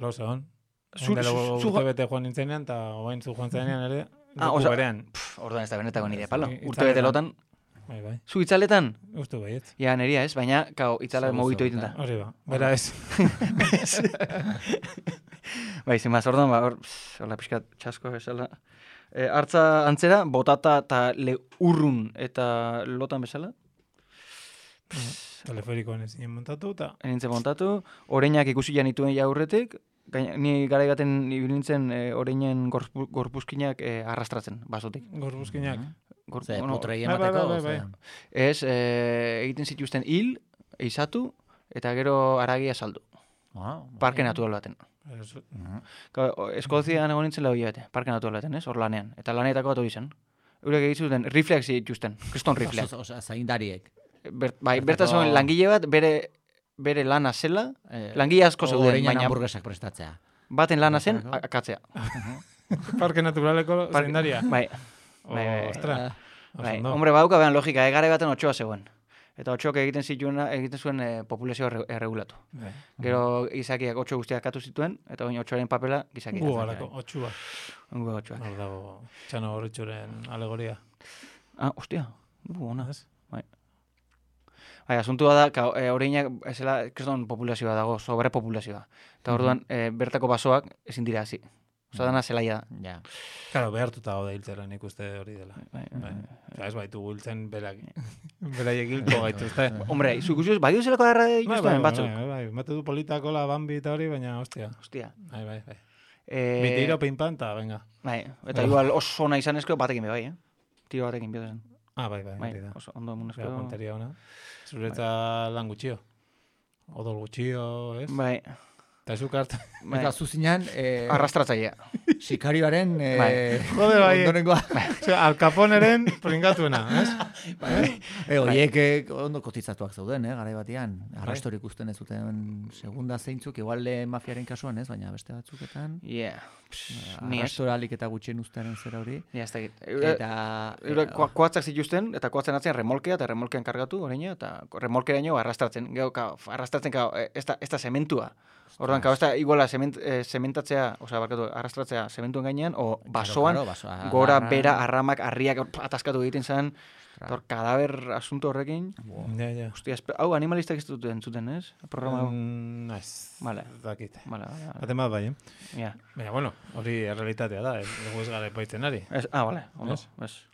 Loza hon. Urte bete joan nintzenean, eta oain zu joan zenean ere, dugu berean. Orduan ez da benetako nire palo. Urte bete lotan. Bai. Zu itzaletan? Uste baiet. Ja, neria ez, baina, itzala mogitu egiten da. Hori ba, bera ez. Bai, zimaz, orduan, hola pixkat txasko bezala. Hartza antzera, botata eta urrun eta lotan bezala. Teleferikoan ez nien montatu, eta... Nintzen montatu, oreinak ikusi janituen jaurretik, ni gara egaten ibilintzen oreinen gorpuzkinak arrastratzen, basotik. Gorpuzkinak? Ze, putrei emateko? Bai. Ez, egiten zituzten hil, eizatu, eta gero aragia saldu. Parke natural baten. Eskozian egon nintzen lau bete, parke natural baten, ez? Hor lanean. Eta lanetako bat hori zen. Eurek egiten rifleak zituzten, kriston rifleak. Osa, zaindariek. Bai, bertasun langile bat, bere lana zela, langile asko zeuden, baina... hamburguesak prestatzea. Baten lana zen, akatzea. Parke naturaleko zaindaria. Bai. Ostra. Bai, hombre, badauka behan logika, gara baten otxoa zegoen. Eta otxoak egiten zuen populazioa erregulatu. Gero gizakiak otxo guztiak katu zituen, eta oin otxoaren papela gizakiak. Gugarako, otxua. Otxuak. Hor dago, txano horretxuren alegoria. Hostia, ona. Bai, asuntua da, oreinak esela, kriston populazioa dago, sobrepopulazioa. Eta orduan, bertako basoak ezin dira hasi. Osa, dana zelaia da. Ja. Claro, behartuta gaude hiltzera nik uste hori dela. Bai. Osea, ez baitu hiltzen beraiek hilko gaituzte. Hombre, zuk bai duzelako darra dituzten batzuk. Bai, mate du politakola, bambi eta hori, baina, hostia. Hostia. Bai. Bitiro, pinpan, eta venga. Bai, eta igual oso ona izan ezko batekin be bai, Tiro batekin be zen. Bai, hori da. Oso ondo munezko. Gara punteria ona. Zuretza lan gutxio. Odol gutxio, ez? Bai. Eta zukart. Eta zuzinean, Arrastratzailea. sikarioaren Jode bai. ondorengoa. Al Caponeren pringatuena, ez? Oiek ondo kotitzatuak zauden, garai batean. Arrastorik ikusten ez zuten segunda zeintzuk, igual mafiaren kasuan, ez? Baina beste batzuketan. Yeah. Arrastoralik eta gutxien ustearen zera hori. Ja, ez da git. Eta Koatzak zituzten, eta koatzen atzean remolkea, eta remolkean kargatu, oraino, eta remolkeraino arrastratzen. Gero, arrastratzen, ez da zementua. Orduan, ez da iguala zementatzea, osea, barkatu, arrastratzea zementuen gainean, o basoan, gora, bera, arramak, harriak ataskatu egiten zen, Tor, kadaber asunto horrekin. Ja. Hostia, hau animalistak ez dut entzuten, ez? Programa hau. Naiz. Vale. Dakit. Vale. Baten bat bai, Ja. Baina, bueno, hori errealitatea da, dugu ez gara epaitzen ari. Vale, ondo.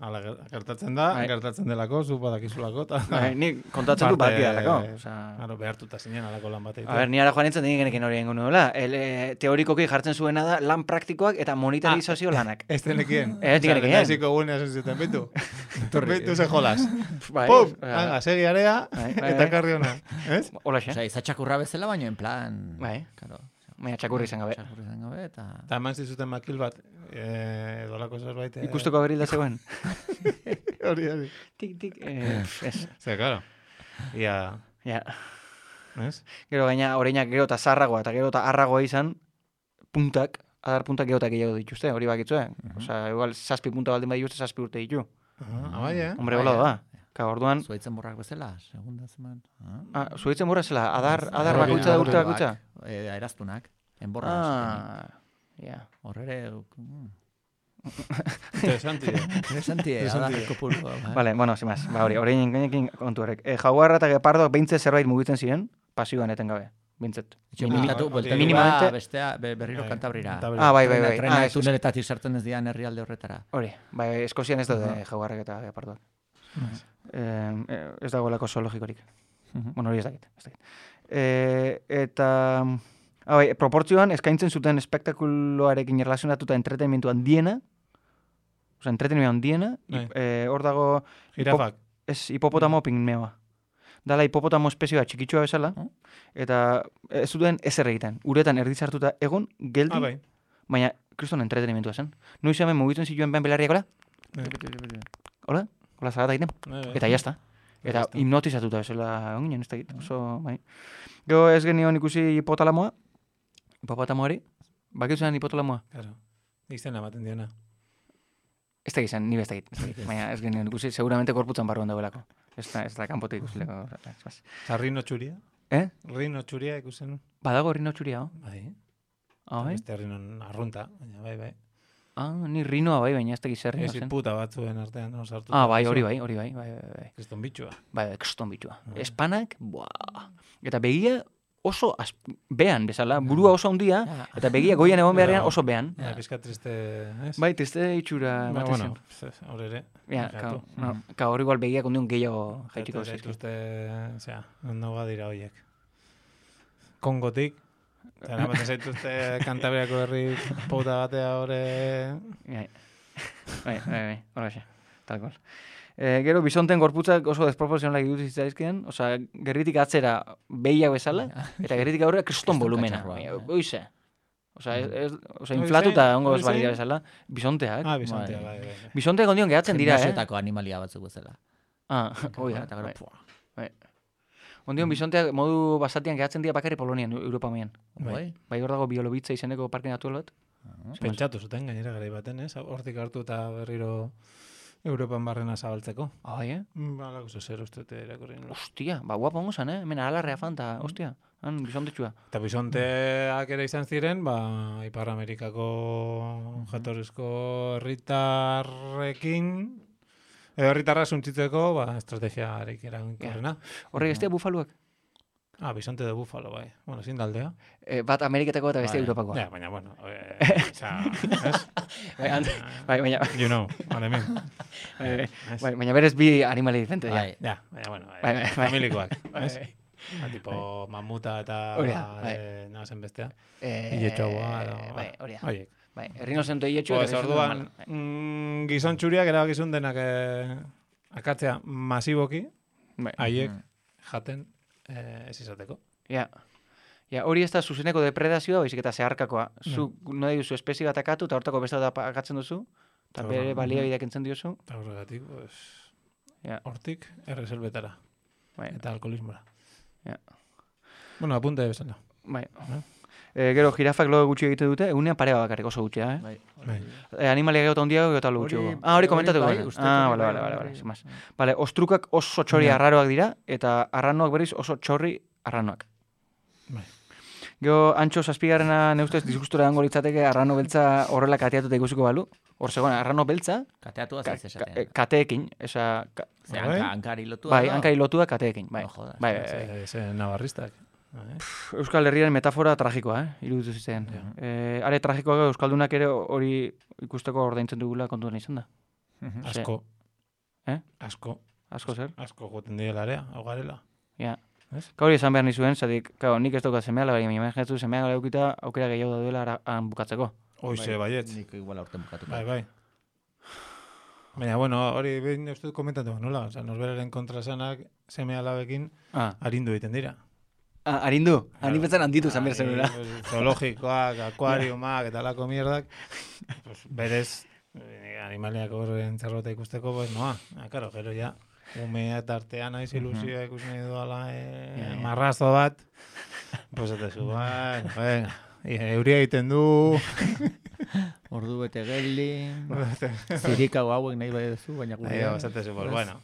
Hala, gertatzen da, gertatzen delako, zu badakizulako, eta... Ni kontatzen du bakiarako. Claro, behartuta zinen alako lan bat egiten. A ber, ni ara joan nintzen genekin hori egingo nuela. Teorikoki jartzen zuena da lan praktikoak eta monitorizazio lanak. Ez denekien. Ez denekien. Neziko gunea zuten, bitu. Bitu ze jolas. Bai. Pum! Segi area, eta karri hona. Ez? Hola xe. Osa, izatxakurra bezala, baina en plan... Bai. Claro. Baina txakurri izan gabe. Txakurri izan gabe, eta... Eta eman zizuten makil bat, edolako zerbait... Ikusteko berilda zegoen. Hori. Tik. Ez. Zer, claro. Ia... Ja. Ez? Gero gaina, oreinak gero eta zarragoa, eta gero eta arragoa izan, puntak, adar puntak gero eta gehiago dituzte, hori bakitzue. Osa, igual, 7 punta baldin badituzte, 7 urte ditu. Bai, Hombre, hola da. Ka, orduan... Zuaitzen borrak bezala, segunda zeman. Zuaitzen borrak zela, adar bakoitza da urte bakoitza? Eraztunak, enborra. Ja. Horrere... Interesanti. Adar kopuru. Vale, bueno, sin más. Ba, hori gainekin kontu horrek. Jaguarra eta gepardoak behintzet zerbait mugitzen ziren, pasioan eten gabe. Bintzet. Minimamente bestea berriro Kantabrira. Bai. Trena tuneletatik sartzen ez dian herrialde horretara. Hori, bai, Eskozian ez daude jaguarrak eta gepardoak. Ez dagoelako zoologikorik. Bueno, hori ez dakit. Eta... Bai, proportzioan eskaintzen zuten espektakuloarekin erlazionatuta entretenimentu handiena, oza, entretenimentu handiena, hor dago... Jirafak. Ez, hipopotamo pigmeoa. Dala hipopotamo espezioa txikitsua bezala, eta ez zuten ezer egiten. Uretan erdizartuta egon, geldi, baina kriston entretenimentua zen. Noiz hemen mugitzen zituen behan belarriak, hola? Hola, zagata egiten. Eta jazta. Eta hipnotizatuta bezala egon ginen, ez da egiten. Oso, bai. Gero ez genion ikusi hipotalamoa, hipopotamoari, bakitzen hipotalamoa. Claro, izena ematen diona. Ez da gizan, nire ez da egit. Baina ez genion ikusi, seguramente korputzan barruan dagoelako. Ez da kanpote ikusileko. Eta rino txuria? Rino txuria ikusen? Badago rino txuria, Bai. Bai? Beste rinon arrunta, baina bai. Ni rinoa bai, baina ez da gizar rino zen. Ez puta batzuen artean, sartu. Bai, hori bai. Kriston bitxua. Bai, kriston bitxua. Espanak, eta begia oso behan bezala, burua oso handia, eta begia goian egon beharrean oso behan. Pizka triste, ez? Bai, triste itxura ematen zen. Bueno, hor ere. Ka hor igual begiak ondion gehiago jaitiko zen. Eta osea, ondoga dira horiek. Kongotik, eta namaten zaituzte Kantabriako herri pauta batea hori... Bai, hori xe, tal cual. Gero, bisonten gorputzak oso desproportzionalak dut zitzaizkien, osea, gerritik atzera behiak bezala, eta gerritik aurrera kriston volumena. Oize. Osea, inflatuta ongo ez balira bezala. Bisonteak. Bisonteak, bai. Bisonteak ondion gehatzen dira, Gimnasiotako animalia batzuk bezala. Bai. Ondion bisonteak modu basatian gehatzen dira bakarri Polonian, Europa maian. Bai, hor dago Bielobitza izeneko parke natural bat. Pentsatu zuten gainera garai baten, ez? Hortik hartu eta berriro Europan barrena zabaltzeko. Bai, Balako zer uste irakurri. Ostia, guapa hongo zan, hemen alarrea fanta, ostia. Han bisontetxua. Eta bisonteak ere izan ziren, Ipar Amerikako jatorrizko herritarrekin, edo herritarra suntzitzeko, estrategiarik eraginkorrena. Horrek ez dira bufaluak? Bisonte de Búfalo, bai. Bueno, zin daldea. Bat Ameriketako eta beste Bai. Europakoa. Ja, baina, bueno, ez? Baina, You know, what I mean. baina berez bi animali diferente. Bai. Ja, baina, bueno, Bai. familikoak, ez? Tipo mamuta eta Hori da, bai. nazen bestea. Iletxoa, Bai, hori da. Horiek. Bai, errinozentu iletxu. Pues orduan, gizon txuriak erabakizun denak akatzea masiboki, haiek jaten ez izateko. Ja, hori ez da zuzeneko depredazioa, baizik eta zeharkakoa. Zu nahi duzu espezie bat akatu, eta hortako beste bat akatzen duzu, eta bere baliabideak entzen diozu. Eta horregatik, pues, Ja. hortik erreselbetara. Bai. Eta alkoholismora. Ja. Bueno, apunte bezala. Bai. Gero, jirafak lo gutxi egite dute, egunean pare bat bakarrik oso gutxia, Bai. Animaliak gauta handiago eta lo gutxiago. Hori komentatu bai, guen. uste dut Bale, sin más. Bale, ostrukak oso txori arraroak dira, eta arranoak berriz oso txorri arranoak. Bai. Gero, antxo zazpigarrena neustez disgustura dango litzateke arrano beltza horrela kateatuta ikusiko balu. Hor zegoen, arrano beltza, Kateatu ez esaten. kateekin, esa... Ze hankari lotua. Bai, hankari lotua kateekin, bai. No jodas. Bai. Ze navarristak. Euskal Herriaren metafora tragikoa, iruditu zitzen. Are tragikoa Euskaldunak ere hori ikusteko ordaintzen dugula kontuan izan da. Asko. Asko Asko. zer? Asko goten direla area, hau garela. Ja. Ez? Hori esan behar nizuen, zatik, nik ez daukat semea, baina imaginatu semea leukita aukera gehiago daudela han bukatzeko. Hoize, baietz. Nik igual aurten bukatuko. Bai. Baina, bueno, hori behin ez dut komentatu nola. Osa, norberaren kontrasanak seme alabekin arindu egiten dira. Arindu? Ani betzen handitu zan behar zenura. Zoologikoak, akuariumak eta lako mierdak. Pues, berez, animaliak horren zerrota ikusteko, pues noa. Karo, gero ja, umea eta artean aiz ilusioa ikusi nahi duala marrazo bat. Pues etezu, venga. Euria egiten du. Ordu bete geldi. Zirikago hauek nahi bai duzu, baina gure. Esatezu, pues bueno.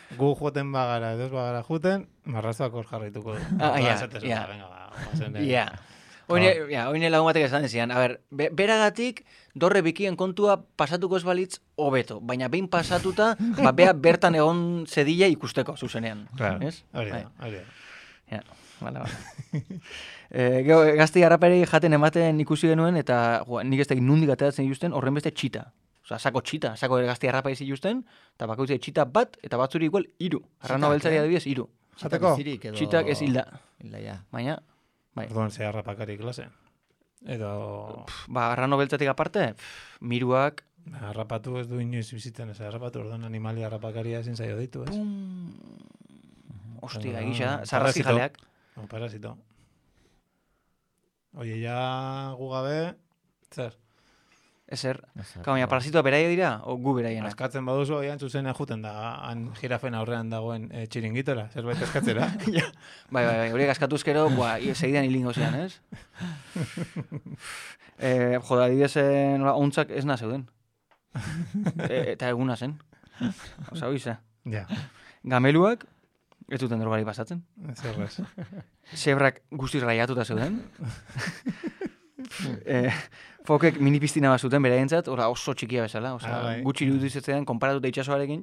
Gu joten bagara, edo bagara juten, marrazoak hor jarraituko du. Oine lagun batek esan zian. A ber, beragatik, dorre bikien kontua pasatuko ez balitz hobeto, baina behin pasatuta, bea bertan egon zedila ikusteko, zuzenean. Claro, ez? Hori da. Ja, bale. Gero, gazti harraperi jaten ematen ikusi genuen, eta nik ez da nundik ateratzen justen, horren beste txita. Osa, sako gazti harrapari zituzten, eta bakoitzea txita bat, eta batzuri igual 3. Arrano beltzari adibidez 3. Jateko? Txitak ez hilda. Hilda, ja. Baina, bai. Orduan ze harrapakari klase. Edo... arrano beltzatik aparte, miruak... Harrapatu ez du inoiz bizitzen ez harrapatu, orduan animali harrapakaria ezin zaio ditu, ez? Ostia, egisa da, zarrazi jaleak. Parasito. Oie, ja gugabe, zer? Ezer. Baina parasitoa beraia dira, o gu beraiena? Askatzen baduzu, oian zuzena juten da, han jirafen aurrean dagoen txiringitora, zerbait eskatzera. Bai, horiek askatuzkero, segidan hilingo zian, ez? Joda, adibidezen ontzak ez na zeuden. Eta eguna zen. Osa, oiza. Ja. Gameluak, ez duten drogari pasatzen. Zerrez. Zebrak guztiz raiatuta zeuden. Fokek mini piztina bat zuten beraientzat, oso txikia bezala. Gutxi irudizetzen konparatuta itxasoarekin,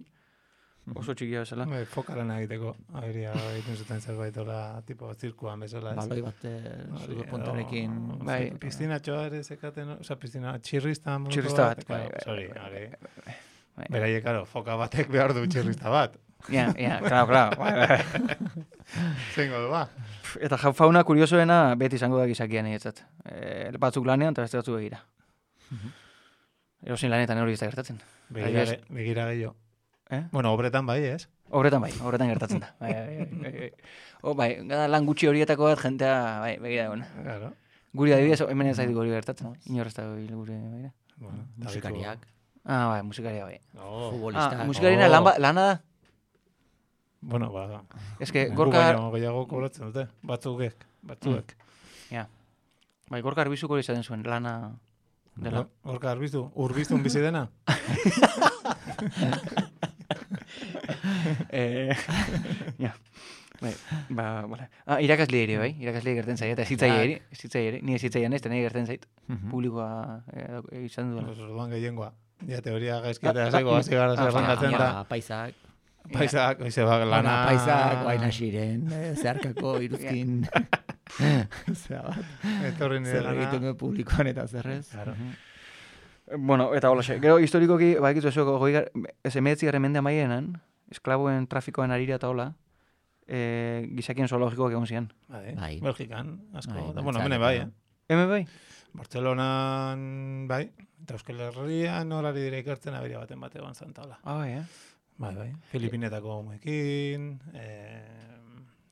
oso txikia bezala. Fokaren egiteko, aberia egiten zuten zerbait tipo zirkuan bezala. Baloi bat zudo puntarekin. Piztinatxoa ere zekaten, oza, piztina txirrista. Txirrista bat. Sorry, beraiek, karo, foka batek behar du txirrista bat. Ja, claro. Zengo du, ba. Eta fauna kuriosoena beti izango da gizakian egetzat. Batzuk lanean eta beste batzuk begira. Erosin lanetan hori ez da gertatzen. Begira gehiago. Bueno, obretan bai, ez? Obretan gertatzen da. Bai, gada lan gutxi horietako bat jentea, bai, begira egon. Claro. Guri adibidez, hemen ez zaitu guri gertatzen. Inorrez da gure, begira. Musikariak. Bai, musikaria bai. Futbolistak. Musikarina lana da? Bueno, ba... Ez que Gorka... Gehiago kobratzen dute, batzuek. Ja. Bai, Gorka Arbizuko izaten zuen, lana... dela. Gorka Arbizu, urbiztun bizi dena? Ja. Bai, bale. Irakasle ere, bai? Irakasle gerten zait, eta zitzai ere. Ni zitzaian ez, eta nahi gerten zait. Publikoa izan duela. Orduan gehiengoa. Ja, teoria gaizkiatea zego, hasi gara zerrendatzen da. Paisak. Paisak, oizebak lana... Paisak, baina xiren, zeharkako iruzkin... Zera bat. Etorri nire Zer egiten duen publikoan eta zerrez. Claro. Bueno, eta holaxe. Gero, historikoki, baikitu eso, ez 19. mende amaienan, esklaboen trafikoen arira eta hola, gizakien zoologikoak egon zian. Bai. Belgikan, asko. Bai, Bueno, hemen Beltzak, bai, Hemen bai? Bartzelonan, bai. Eta Euskal Herrian horari dire ikertzen aberia baten bate egon zantaula. Bai, Bai. Filipinetako homekin,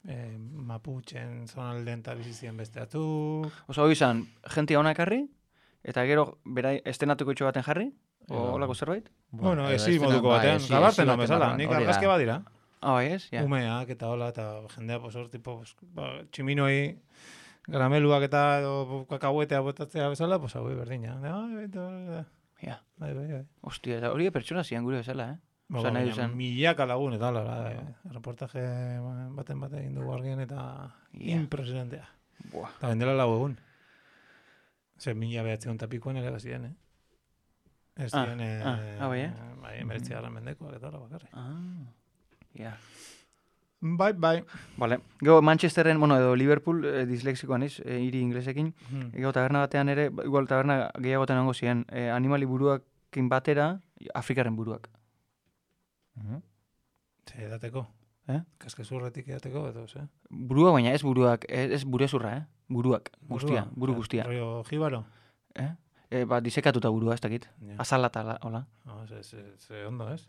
Mapuchen zonalden eta bizizien beste atzuk. Osa, hori izan, jentia hona ekarri, eta gero, bera, estenatuko itxo baten jarri, o holako zerbait? Bueno, edo ezi estenan, moduko bai, batean, esi gabarten baten bezala, barruan, nik hori da. argazke badira. Bai, ez? Ja. Umeak eta hola, eta jendea, pues, hor, tipo, pues, tximinoi, garameluak eta edo kakahuetea botatzea bezala, pues, hau berdina. Ja. Bai. Ostia, eta hori pertsona zian gure bezala, Ba, nahi baina duzen. milaka lagun eta hola, reportaje baten egin dugu argien eta impresionantea. Buah. Eta bendela lau egun. Zer, 1900 pikoen ere bazien, Ez ziren, bai, bai, 19. mendekoak eta hola bakarrik. Ja. Bai. Vale. Gero Manchesterren, bueno, edo Liverpool, dislexikoan iz, hiri inglesekin. Gero taberna batean ere, igual taberna gehiagoten hango ziren, animali buruakin batera, Afrikaren buruak. Zer, edateko? Kaskezurretik edateko, edo, ze? Buruak, baina ez buruak, ez burezurra, Buruak, guztia, buru guztia. Rollo jibaro? Ba, disekatuta burua, ez dakit. Ja. Azala eta hola. Ze ondo, ez?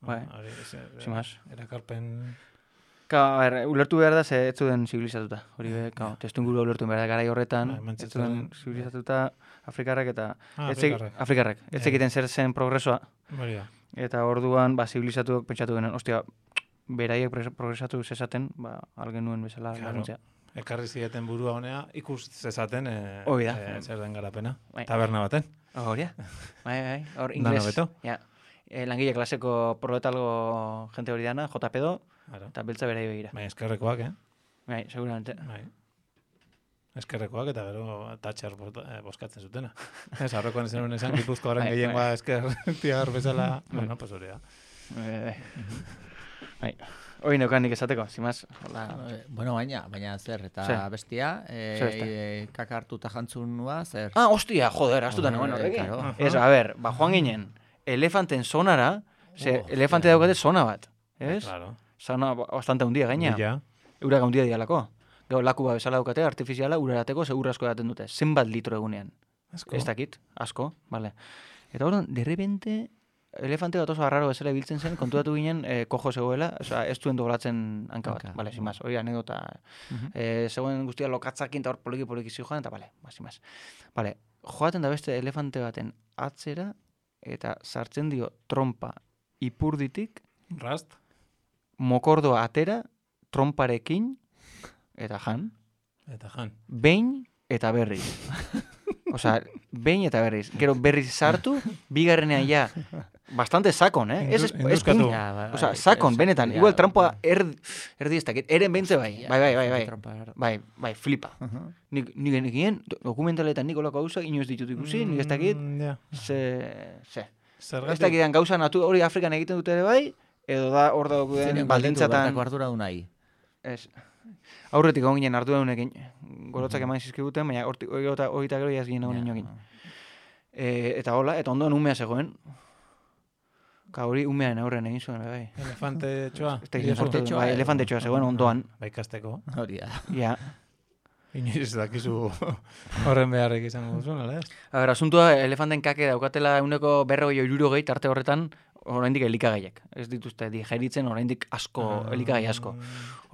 Bai. Sin más. Erakarpen... A ber, ulertu behar da, ze ez zuden zibilizatuta. Hori be, testu ingurua ulertu behar da, garai horretan, ez zuden zibilizatuta Afrikarrak eta... Afrikarrak. Ez egiten zer zen progresoa. Baria. Eta orduan, ba, zibilizatuak pentsatu denen, ostia, beraiek progresatu zezaten, ba, algen nuen bezala laguntzea. Ekarri zieten burua honea, ikus zezaten zer den garapena. Bai. Taberna baten. Hori, bai. Hor, Dano ingles. beto. Ja. Langile klaseko proletalgo jente hori dana, JP-do, eta beltza berai begira. Bai, eskerrekoak, Bai, seguramente. Bai. Eskerrekoak eta gero tatxar boskatzen zutena. Ez, aurrekoan esan Gipuzkoaren gehiengoa esker tiar bezala, bueno, pues hori da. Bai. Hori neukan nik esateko, zimaz. Bueno, baina zer, eta bestia, kaka hartuta jantzunua, zer? Hostia, joder, astutan egon horrekin. Ez, a ber, ba, joan ginen, elefanten sonara, elefante daukate sona bat, ez? Claro. Sona bastante hundia gaina. Urak hundia dialako. Gau, laku ba bezala daukate, artifiziala, urarateko, segur asko daten dute. Zenbat litro egunean. Asko. Ez dakit, asko, vale. Eta hori, de repente, elefante bat oso arraro bezala ibiltzen zen, konturatu ginen, kojo zegoela, oza, ez duen dogolatzen hanka bat. Vale, sin más, hori anekdota. Zegoen guztia lokatzakin eta hor poliki zijoan, eta vale, sin más. Vale, joaten da beste elefante baten atzera, eta sartzen dio trompa ipurditik, Rast? mokordoa atera, tromparekin, eta jan. Behin eta berriz. Osea, behin eta berriz. Gero berriz sartu, bigarrenean ja, bastante sakon, Ez Induskatu. Osea, sakon, benetan. Igual trampoa erdi ez dakit. Eren behintze bai. Bai, flipa. Nik egin, dokumentaletan nik olako gauza, inoz ditut ikusi, nik ez dakit. Ez dakidan gauza hori Afrikan egiten dute ere bai, edo da hor daukuden baldintzatan... Bertako ardura du nahi. Ez. Aurretik egon ginen arduradunekin, gorotzak eman zizkiguten, baina hori eta gero jaz ginen egon inokin. Eta hola, eta ondoan umea zegoen. Hori umearen aurren egin zuen, bai. Elefante txoa. Elefante txoa zegoen ondoan. Bai, kasteko. Hori da. Ja. Inoiz dakizu horren beharrik izango duzun, ala ez? A ber, asuntua, elefanten kake daukatela euneko 40 tarte horretan, oraindik elikagaiak. Ez dituzte digeritzen oraindik asko, elikagai asko.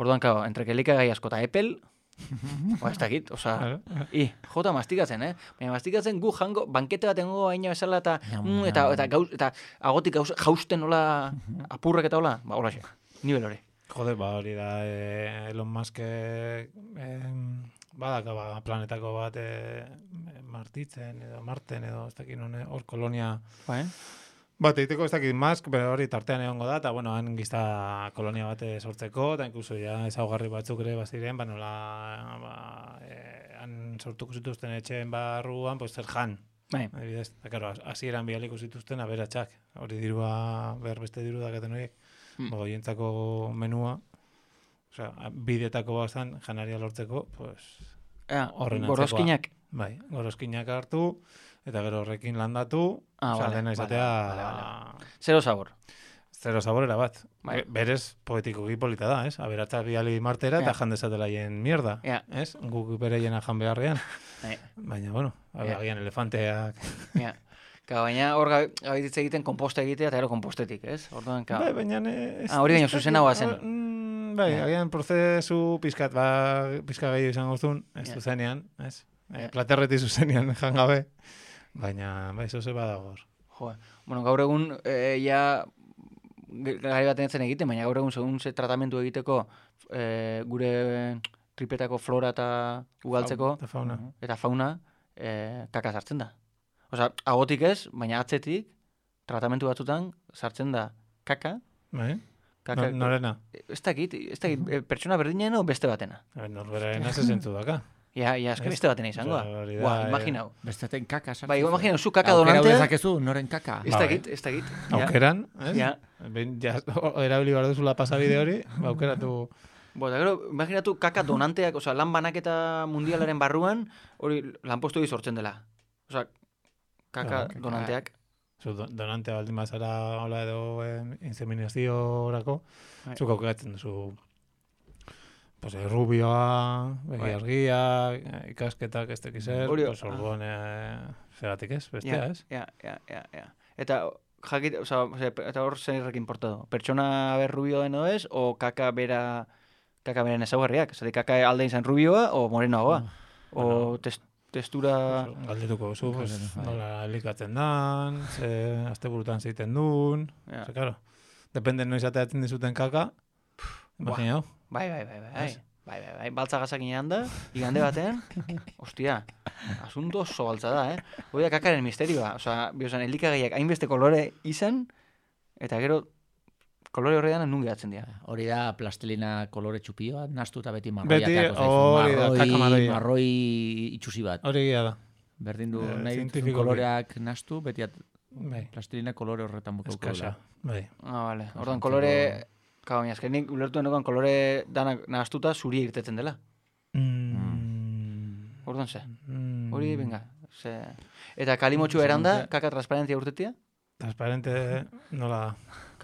Orduan, entre elikagai asko eta epel, ez dakit, oza, jota mastikatzen, Baina mastikatzen gu jango, bankete bat engo aina bezala eta agotik jausten hola apurrek eta hola, ba, hola xe, nivel hori. Jode, ba, hori da, Elon Musk badaka planetako bat martitzen edo marten edo ez dakit hor kolonia bat egiteko ez dakit Musk, pero hori tartean egongo da, eta bueno, han gizta kolonia bat sortzeko, eta inkluso ja ezaugarri batzuk ere baziren, nola han sortuko zituzten etxeen barruan, pues zer jan. Bai. Adibidez, eta claro, hasieran bialiko zituzten aberatsak. Hori dirua, beste diru dakaten horiek. Goientzako menua, osea, bidetako bazan janaria lortzeko, pues horren antzekoa. Gorozkinak. Bai, gorozkinak hartu, eta gero horrekin landatu, dena izatea... Zero sabor. Zero saborera bat. Bai. Berez poetikoki polita da, ez? Aberatsak biali martera eta jandezatelaien mierda, ez? Guk bereiena jan beharrean. Baina, bueno, agian elefanteak... Baina hor gabititze egiten komposta egitea eta gero kompostetik, ez? Orduan, bai, baina... Hori baino zuzenagoa zen. Bai, agian prozesu pizkat gehiago izango zuen, ez zuzenean, ez? Platerreti zuzenean jangabe, baina, bai, zoze badago hor. Bueno, gaur egun, gari bat zen egiten, baina gaur egun segun ze tratamendu egiteko gure tripetako flora eta ugaltzeko eta fauna kaka sartzen da. Osa, agotik ez, baina atzetik tratamentu batzutan sartzen da kaka. Norena? Ez dakit, pertsona berdinen o beste batena. Norberarena ze zentzu daka. Ja, eske beste batena izango da. Imaginau. Besteaten kaka sartzen. Bai, imaginau, zu kaka donantea. Aukera dezakezu, noren kaka. Ez dakit. Aukeran, ez? Erabili behar duzula pasabide hori, aukeratu... Eta gero, imaginatu kaka donanteak, oza, lan banaketa mundialaren barruan, hori lanpostu sortzen dela. Oza, kaka donanteak. Donantea baldin bazara hola edo inseminaziorako, zuk aukeratzen duzu rubioa, argia, ikasketak ez tekizer, orduan zeratik ez, bestea ez? Ja. Eta jakit, eta hor zerrek importado. Pertsona ber rubio deno ez, o kaka beren ezaugarriak. Zati kaka alde izan rubioa, o morenoagoa. O testura... Galdetuko zu, nola elikatzen dan, asteburutan zeiten duen, claro, depende noiz ateatzen dizuten kaka, imaginau. Bai, baltza gazak inean da, igande batean, ostia, asunto oso baltza da, Hoi da kakaren misterioa, oza, biozan, elikagaiak hainbeste kolore izan, eta gero, kolore horrean nun gehatzen dira. Hori da plastilina kolore txupioa, nastu eta beti marroi itxusi bat. Hori da. Berdin du nahi koloreak nastu, beti plastilina kolore horretan bukauko da. Vale. Orduan kolore... Baina, nik ulertu denokan kolore danak nahaztuta zuri irtetzen dela. Orduan ze. Hori, venga. Eta kalimotxu eranda, kaka transparentzia urtetia? Transparente nola da.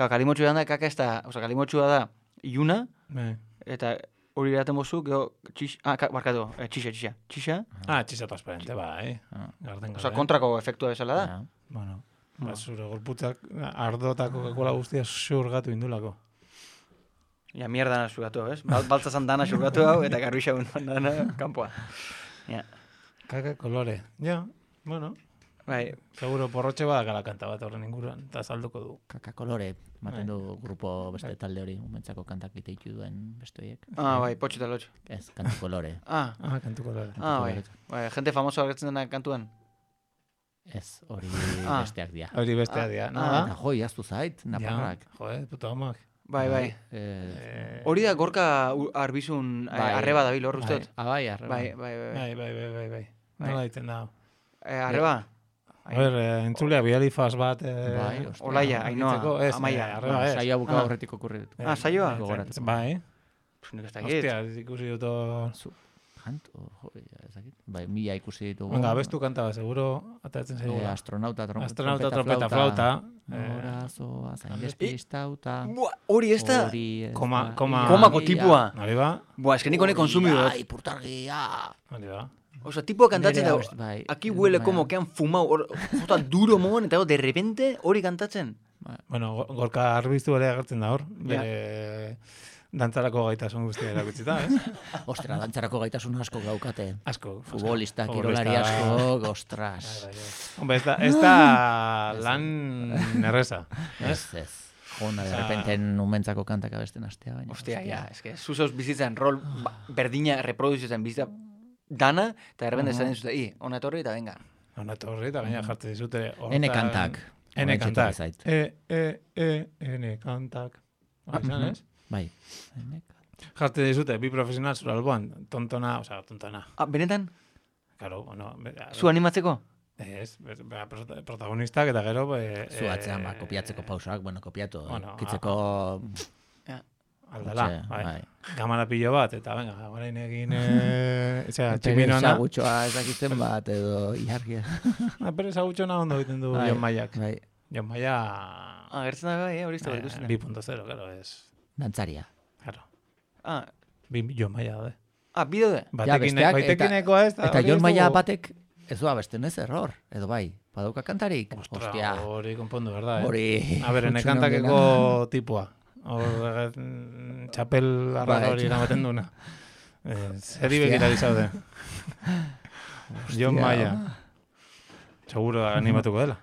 Kalimotxu eranda, kaka ez da, kalimotxua da iluna, eta hori eraten bozu, geho, barkatu, txixa. Txixa transparente, bai. Kontrako efektua bezala da. Bueno, zure gorputzak ardotako kakola guztia xurgatu indulako. Ja, mierda dana xurgatu, ez? Baltzazan dana xurgatu hau, eta garbixa dana kanpoa. Kaka kolore. Ja, bueno. Bai. Seguro porrotxe badakala kanta bat horren inguruan, eta salduko du. Kaka kolore, maten du grupo beste talde hori, umentzako kantak iteitu duen beste horiek. Bai, potxo eta lotxo. Ez, kantu kolore. Kantu kolore. Bai, gente famoso agertzen dena kantuan. Ez, hori besteak dia. Hori besteak dia. Joi, aztu zait, naparrak. Puta homak. Bai. Hori da gorka arbizun arreba dabil hor usteot. Bai, arreba. Bai. Nola ditzen da. Arreba? A ver, entzulea, bialifaz bat... Olaia, Ainoa, Amaia. Saioa buka horretik okurritu. Saioa? Bai. Nik ez dakit. Hostia, ikusi dut... Kanto, ezakit. Bai, mila ikusi ditugu. Venga, abestu kantaba, seguro, atatzen segura. Astronauta, trompeta, flauta. Horazoa, zain despistauta. Hori ez da? Komako tipua. Hori ba? Ez que nik honek konsumido. Ai, purtargia. Hori ba? Osa, tipua kantatzen da, aquí huele como que han fumau, jota duro moan, eta de repente hori kantatzen. Bueno, gorka arbiztu ere agertzen da hor. Dantzarako gaitasun guztia erakutzita, ez? Ostra, dantzarako gaitasun asko gaukate. Asko. Futbolista, kirolari asko, ostras. Hombre, ez da lan erreza. Ez. Jona, de repente numentzako kantak abesten astea. Ostia, ez que zuzoz bizitzen rol berdina reproduzitzen bizitza dana, eta de repente zaten zute, ona etorri eta venga. Ona etorri eta gaina jartzen dizute. Ene kantak. Ene kantak. Izan, ez? Bai. Jarte dizute, bi profesional zura alboan, tontona. Benetan? Claro, bueno. Zu animatzeko? Ez, protagonistak eta gero... Zu atzean, kopiatzeko pausak, kopiatu, kitzeko... Aldala, bai. Gamara pilo bat, eta venga, orain egin... tximinoana... Pere sagutxoa ezakitzen bat, edo ilargia. Pere sagutxoa ondo egiten du Jon Maiak. Jon Maia... Agertzen da bai, hori izte bat ikusten. 2.0, claro, ez... Dantzaria. Claro. Jon Maia, de. Bideo de. Baitekinekoa ez. Eta Jon Maia batek... Ez du abesten ez error, edo bai, badauka kantarik. Ostia, hori konpondu, verdad, Hori... Aberen kantakeko tipua. Hor, txapel arradori eramaten duna. Zeri begira dizaude. Jon Maia. Seguro animatuko dela.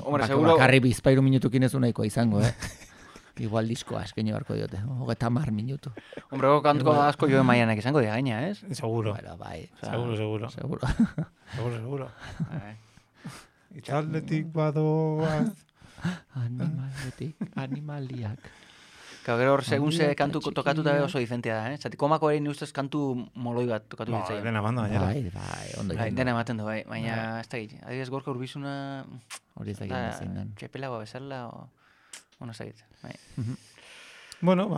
Hombre, seguro... Bakarri bizpairu minutukin ez nahikoa izango, Igual diskoa eskeño barko diote. 30 minutu. Hombre, kantuko asko Jon Maianek izango dira gaina, ez? Seguro. Bueno, bai. Seguro. Itxaldetik badoaz. Animaliak. Gero hor, segun ze kantu tokatu da oso diferentea da, Zati, komako ere ustez kantu moloi bat tokatu ditzai. Dena banda, baina. Bai, ondo. Dena ematen du, bai. Baina, ez da git. Adibidez, gorka urbizuna... Hori ez da git zein den. Txepelagoa bezala, o... Bueno, ez da git. Bueno,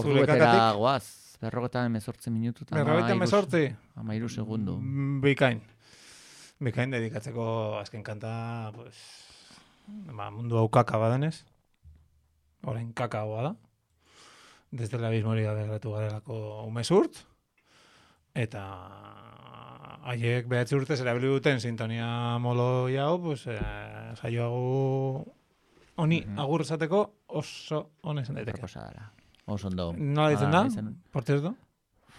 zure kakatik. Goaz, 48 minutu. 48? 13 segundu. Bikain dedikatzeko azken kanta, pues, mundu hau kaka badenez. Orain kakaoa da. Desde el abismo hori aberratu garelako umezurt. Eta haiek 9 urtez erabili duten sintonia moloi hau, pues, saioago honi agur esateko oso honezen daiteke. Oso ondo. Nola ditzen da? Por cierto?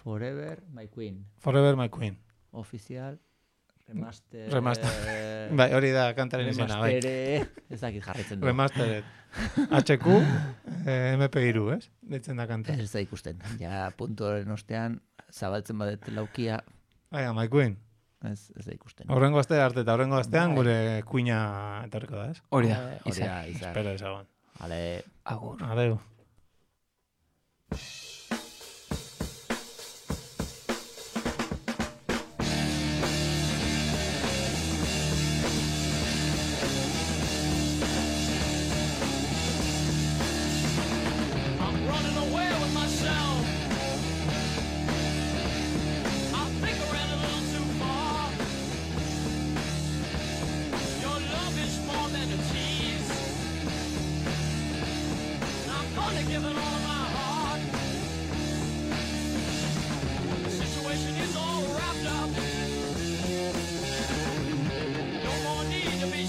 Forever My Queen. Forever My Queen. Oficial. Remaster. Bai, hori da kantaren izena, bai. Ez dakit jarritzen du. Remastered. HQ, MP3, ez? Ditzen da kanta. Ez da ikusten. Ja, puntuaren ostean, zabaltzen badet laukia. Bai, My Queen. Ez da ikusten. Horrengo aste arte eta horrengo astean gure kuina etorriko da, ez? Hori da, izan. Espero ezagon. Ale, agur. Adeu. Be